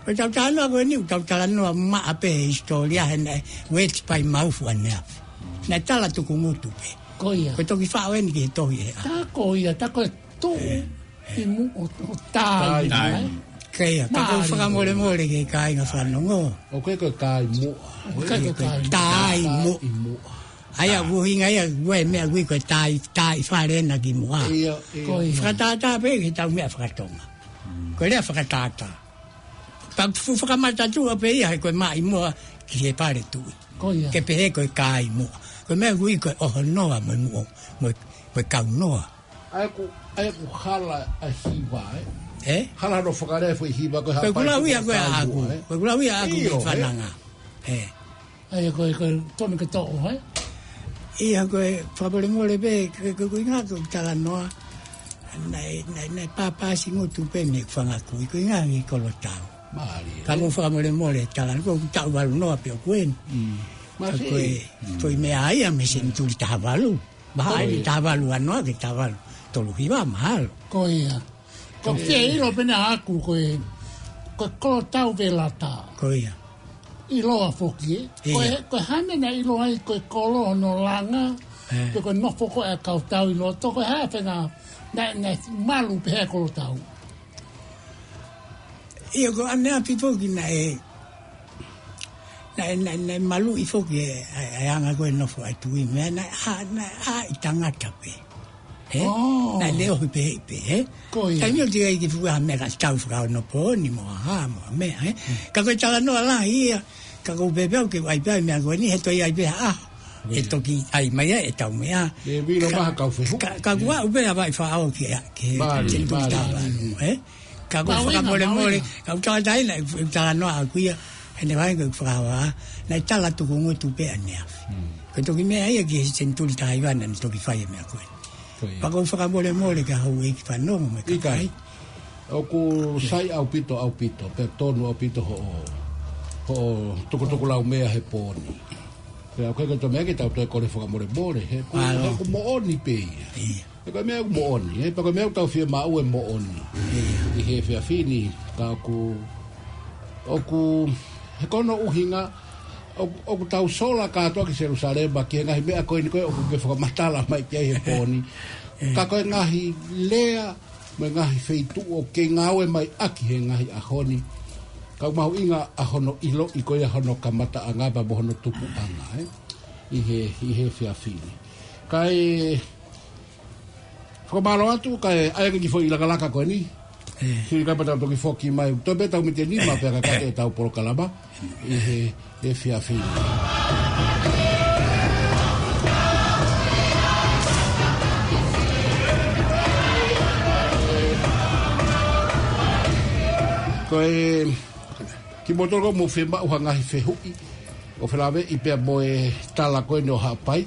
Ko e tau talanoa ko eni, tau talanoa maʻa pē he hisitōlia he naʻe ueti pai maufu ʻaneafi. Naʻe tala tukungutu pē. Ko ia. Ko e toki faʻu eni ki he tohi ē. Tā ko ia, tā ko e tuʻu ʻi muʻa ʻo, ʻo tai muʻa, ē? Ko ia, ka ʻoku ou fakamolemole ki he kāinga fanongo. ʻOku ʻikai ko e kai muʻa. ʻOku ʻikai ko e kai muʻa. Tai muʻa. ʻA ia ʻoku ʻuhinga ia, ʻoku ʻi ai e meʻa ʻoku ui ko e tai, tai fale ena ki muʻa. Ia, ia. Ko ia. Fakatātā pē ki he tau meʻa fakatonga. Ko e lea fakatātā. Pea ʻoku fuʻu fakamatatua pē ia he ko e maʻimoa ki he pale tuʻi. Ko ia. Ke pehē ko e kai muʻa. Ko e meʻa ʻoku ui ko e ʻohonoa mo e muʻo, mo e, mo e kaunoa. ʻA ia ʻoku, ʻa ia ʻoku hala ʻa e hiva, ē? Ē? Hala hono fakalea e foʻi hiva ko e haʻapai tuʻu hoʻo tai muʻa, ē? Ko ʻeku lau ia ʻaku, ko ʻeku lau ia ʻaku ki he fananga. Ē. ʻA ia ko e, ko e tonu ke toʻo, ē? ʻIa ko e fakamolemole pē, ko e, ko e, ko e ʻuhinga ko e talanoa, naʻe, naʻe, naʻe pāpāsingutu pē mei he fanga kui, ko e ʻuhinga ki he kolotau. Mālie. Ka ʻoku ou fakamolemole talanoa, ko ʻeku taʻu valu noa pē ʻoku eni. Mālie. Ka ko e, ko e meʻa ia mei he senituli taha valu. Mahalo ʻi he taha valu ua noa ki he taha valu tolu hiva mahalo. Ko ia. Ko e fie ʻilo pē ʻaʻaku ko e, ko e kolotau Velata. Ko ia. ʻIloa foki, ē? Ko e, ko e hā e meʻa naʻe ʻilo ai ko e kolo hono langa, pe ko e nofo ko ē ʻa e kau tau ʻi loto, ko e hā e fenga naʻe, naʻe malu pehē ʻa e kolotau. ʻIa ko ʻaneafi foki naʻe, naʻe, naʻe, naʻe maluʻi foki e, ʻa e, ʻa e anga ko ē nofo ʻa e tuʻi meʻa, naʻe ʻā, naʻe ʻā ʻi tangata pē. Ē? Naʻe leʻohi pē, pē, ē? Ko ia. Taimi ʻoku teʻeki ai ke fuʻu ʻi ai ha meʻa ka tau fakaonopooni mo ha, mo ha meʻa, ē? Ka ko e talanoa lahi ia, ka ʻoku ou pehē pē au ke ʻai pē ʻa e meʻa ko eni, he toe ʻai pē ha ʻaho. ʻE toki ʻai mai ʻe tau meʻa. ʻE vilo maha kau fehu. Ka, ka ʻoku ou pehē ʻa Vaʻifaʻao ki he, ki he, mālie, senituli taha valu, ē? Ka ʻoku ou fakamolemole, ka ʻoku ou tala atu ʻa e talanoa ʻaku ia, he naʻe vahe ko ʻeku fakahoha, naʻe tala tukungutu pē ʻaneafi. Ko e toki meʻa ia ki he senituli taha hiva naʻa ne toki fai e meʻa ko ē. Ko ia. Pea ʻoku ou fakamolemole ki he houʻeiki fanongo mo e kakai. ʻIkai. ʻOku sai ʻaupito, ʻaupito, pea tonu ʻaupito hoʻo, hoʻo tukutukulaumea he pō ni. Pea ʻoku ʻikai ko e toe meʻa ke tau toe kole fakamolemole, he ʻoku, he ʻoku moʻoni pē ia. ʻIa. He ko e meʻa ʻoku moʻoni, ē, pea ko e meʻa ʻoku tau fiemaʻu e moʻoni. ʻIa. ʻI he efiafi ni, ka ʻoku, ʻoku, he ko hono ʻuhinga, ʻoku, ʻoku tau sola kātoa ki Selusalema, ki he ngaahi meʻa ko eni ko ē ʻoku ke fakamatala mai ki ai he pō ni. Ka ko e ngaahi lea, mo e ngaahi feituʻu ʻoku ke ngāue mai ʻaki he ngaahi ʻaho ni. Ka ʻoku mahuʻinga ʻa hono ʻiloʻi ko ia hono kamataʻanga pea mo hono tupuʻanga, ē? ʻI he, ʻi he efiafi ni. Kae fakamālō atu, kae ʻai ange ki he foʻi lakalaka ko eni. Ē. Sio ki ai pea tau toki foki mai. Toe pē tau miniti ʻe nima pea ka kate ʻetau polokalama. ʻI he efiafi ni. Ko e, kimoutolu ʻoku mou fiemaʻu ha ngaahi fehuʻi, ʻo felāveʻi pea mo e tala ko eni ʻo Haʻapai.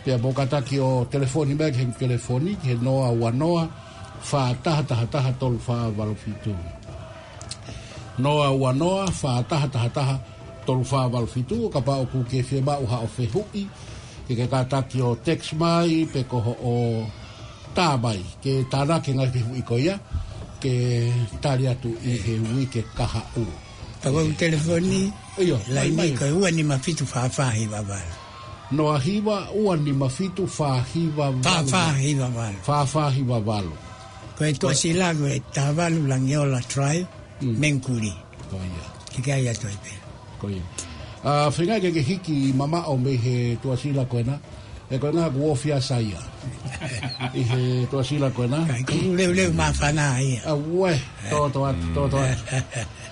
Pea mou kātaki ʻo telefoni mai ki he telefoni, ki he noa ua noa, fā taha taha taha, tolu fā valu fitu. Noa ua noa, fā taha taha taha, tolu fā valu fitu, kapau ʻoku ke fiemaʻu haʻo fehuʻi, ke ke kātaki ʻo text mai, pe ko hoʻo tā mai, ke tānaki e ngaahi fehuʻi ko ia, ke tali atu ʻi he uike kahaʻu. Pea ko e telefoni, ʻio, laini mai, mai. Ko e ua nima fitu fā fā hiva valu. Noa hiva, ua nima fitu, fā hiva valu. Fā fā hiva valu. Fā fā hiva valu. Ko e tuʻasila ko e taha valu Langiola Drive, Mangere. Ko ia. Ke ke ʻai atu ai pē. Ko ia. ʻA, feinga ke ke hiki mamaʻo mei he tuʻasila ko ena. He ko ena kuo ofi ʻa Saia. ʻI he Tuʻasila ko ena. Ka ʻi kulu leuleu māfana ia. ʻA ue, toto atu, toto atu.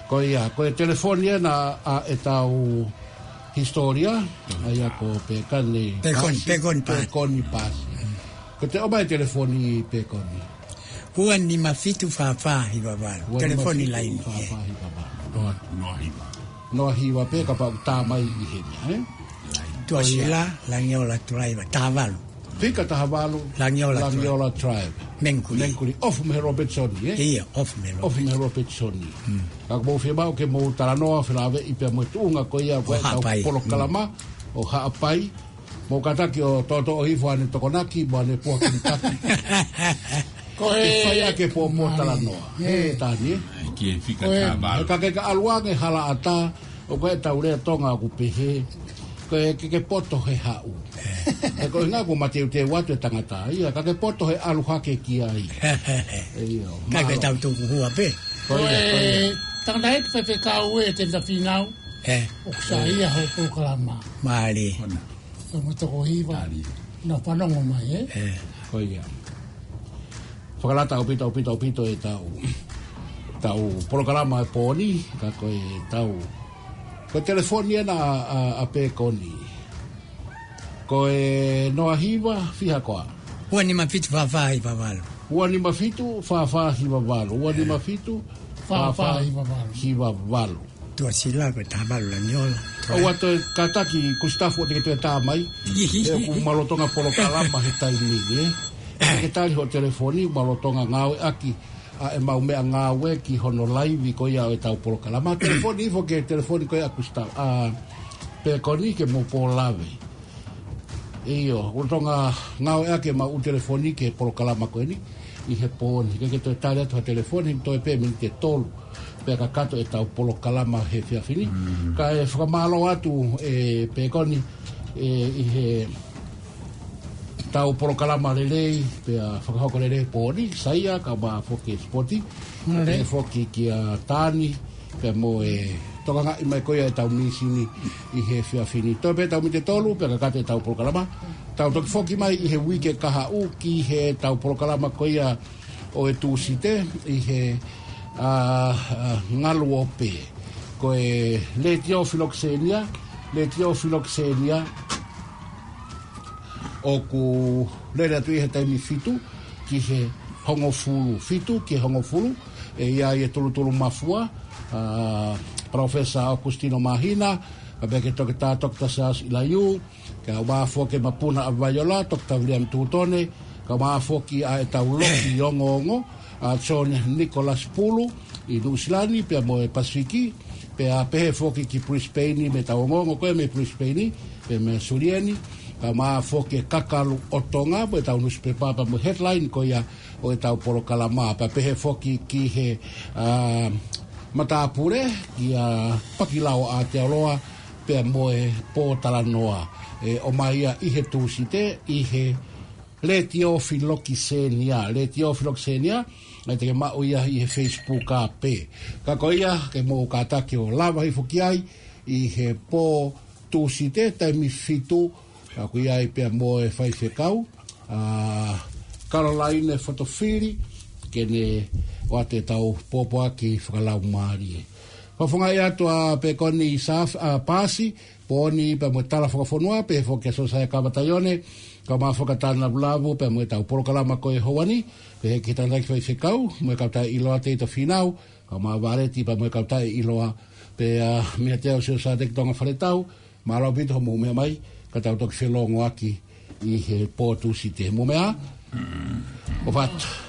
Ko ia, ko e telefoni ena ʻa ʻetau hisitōlia, ʻa ia ko Pekoni Pekoni, Pasi. Pekoni Pasi. Pekoni Pasi. Ko te ʻomai telefoni Pekoni. Ua nima fitu fā fā hiva valu. Ua nima fitu fā fā hiva valu. Telefoni laini, ē. Noa, noa hiva. Noa hiva pē kapau ʻoku tā mai ʻi heni, ē? Tuʻasila, Langiola Driver, taha valu. Fika taha valu, Langiola Langiola Driver. Mengkuli. Mengkuli, off mei Robertson, ē? Ia, off mei Robertson. Off mei Robertson. Mm. Ka ʻoku mou fiemaʻu ke mou talanoa, felāveʻi pea mo e tuʻunga ko ia ko ʻetau polokalama, ʻo Haʻapai. Mou kātaki ʻo toto ʻo hifo ʻa e tokonaki, mo ʻene puha kimitaki. Ko e fai ʻa e pōpōtalanoa. Ē, Tani, ē? ʻAi ki he fika taha valu. Ka ke ka ʻalu ange hala ʻatā, ʻoku ʻi ai ʻetau lea Tonga ʻoku pehē, ko e ke ke poto he haʻu. Ē, ko e ʻuhinga ʻoku mateuteu atu e tangata ia, ka ke poto he ʻalu hake ki ai. ʻIo, ka ke mālō. Tau tuku hua pē. Ko ia, ko ia. Ko e tangataʻeiki faifekau ē, Tēvita Fīnau. Ē. ʻOku sai ia hoʻo polokalama. Mālie. Ko e mo toko hiva. Naʻa fanongo mai, ē? Ē. Ko ia. Fakalata ʻaupito, ʻaupito, ʻaupito ʻetau, ʻetau polokalama he pō ni, ka ko ʻetau, ko e telefoni ena ʻa, ʻa, ʻa Pekoni. Ko e noa hiva, fiha koā? Ua nima fitu fā fā hiva valu. Ua nima fitu fā fā hiva valu. Ua nima fitu fā fā hiva valu. Tuʻasila ko e taha valu Langiola. ʻOua toe kātaki Kusitafu ʻo te ke toe tā mai. ʻE, ʻoku ma lolotonga polokalama he taimi ni, ē. Ke tali hoʻo telefoni, ma lolotonga ngāueʻaki ʻa ʻemau meʻangāue ki hono laivi ko ia ʻo ʻetau polokalama. Telefoni hifo ki he telefoni ko ia ʻa Kusitafu, ʻa Pekoni ke mou pō lave. ʻIo, ʻoku lolotonga ngāueʻaki ʻemau ʻū telefoni ki he polokalama ko eni ʻi he pō ni. Ke ke toe tali atu ha telefoni, toe pē miniti ʻe tolu pea kakato ʻetau polokalama he efiafi ni. Mm. Kae fakamālō atu ē Pekoni, ē, ʻi heʻetau polokalama lelei, pea fakahoko lelei he pō ni, Saia, kae ʻumaʻā foki e sipoti. Mālie. Pea foki kia Tani, pea mo e tokangaʻi mai ko ia ʻetau mīsini ʻi he efiafi ni. Toe pē ʻetau miniti ʻe tolu pea kakato ʻetau polokalama. Tau toki foki mai ʻi he uike kahaʻu ki heʻetau polokalama ko ia ʻo e Tūsite ʻi he, ā, ā, ngalu ʻo pē. Ko e Letiō Filokisenia, Letiō Filokisenia, ʻoku lele atu ʻi he taimi fitu ki he hongofulu, fitu ki he hongofulu, ʻe ʻi ai e tulutulu mafua, ā, Professor Augustino Māhina, kae pehē ki he Toketā Doctor Siaosi ʻIlaiū, kae ʻumaʻā foki e Mapuna ʻa Vaiola, Doctor William Tutone, kae ʻumaʻā foki ʻa ʻetau loki ongoongo, ʻa John Nicholas Pulu, ʻi Nuʻusila ni, pea mo e Pasifiki, pea pehē foki ki Brisbane, mei heʻetau ongoongo ko ē mei Brisbane, pea mei Sulieni, kae ʻumaʻā foki e Kakalu ʻo Tonga, mo ʻetau nusipepa pea mo e headline ko ia ʻo ʻetau polokalama, pea pehē foki ki he, ā, matāpule, kia Pakilao Aotearoa, pea mo e pōtalanoa, ʻe ʻomai ia ʻi he Tūsite, ʻi he Letiō Filokisenia, Letiō Filokisenia, ʻe te ke maʻu ia ʻi he Facebook ā pē. Ka ko ia, ke mou kātaki ʻo lava hifo ki ai, ʻi he pō Tūsite, taimi fitu, ʻoku ʻi ai pea mo e faifekau, ā, Caroline Fotofili, ke ne ʻoatu ʻetau pōpoaki fakalaumālie. Fakafofongaʻi atu ʻa Pekoni Saf-, ā, Pasi, Poni, pea mo e Tala Fakafonua, pehē foki kia Siosaia Kavataione, kae ʻumaʻā foki ʻa Tana Lavulavu, pea mo ʻetau polokalama ko e houa ni, pehē ki he tangataʻeiki faifekau, mo e kau taʻeʻiloa Teito Fīnau, kae ʻumaʻā Valeti, pea mo e kau taʻeʻiloa, pea, ā, mei he Teau Siosateki Tonga Faletau, mālō ʻaupito hoʻomou meʻa mai, ka tau toki felōngoaki ʻi he pō Tūsite. Mou meʻa ā? ʻOfa atu.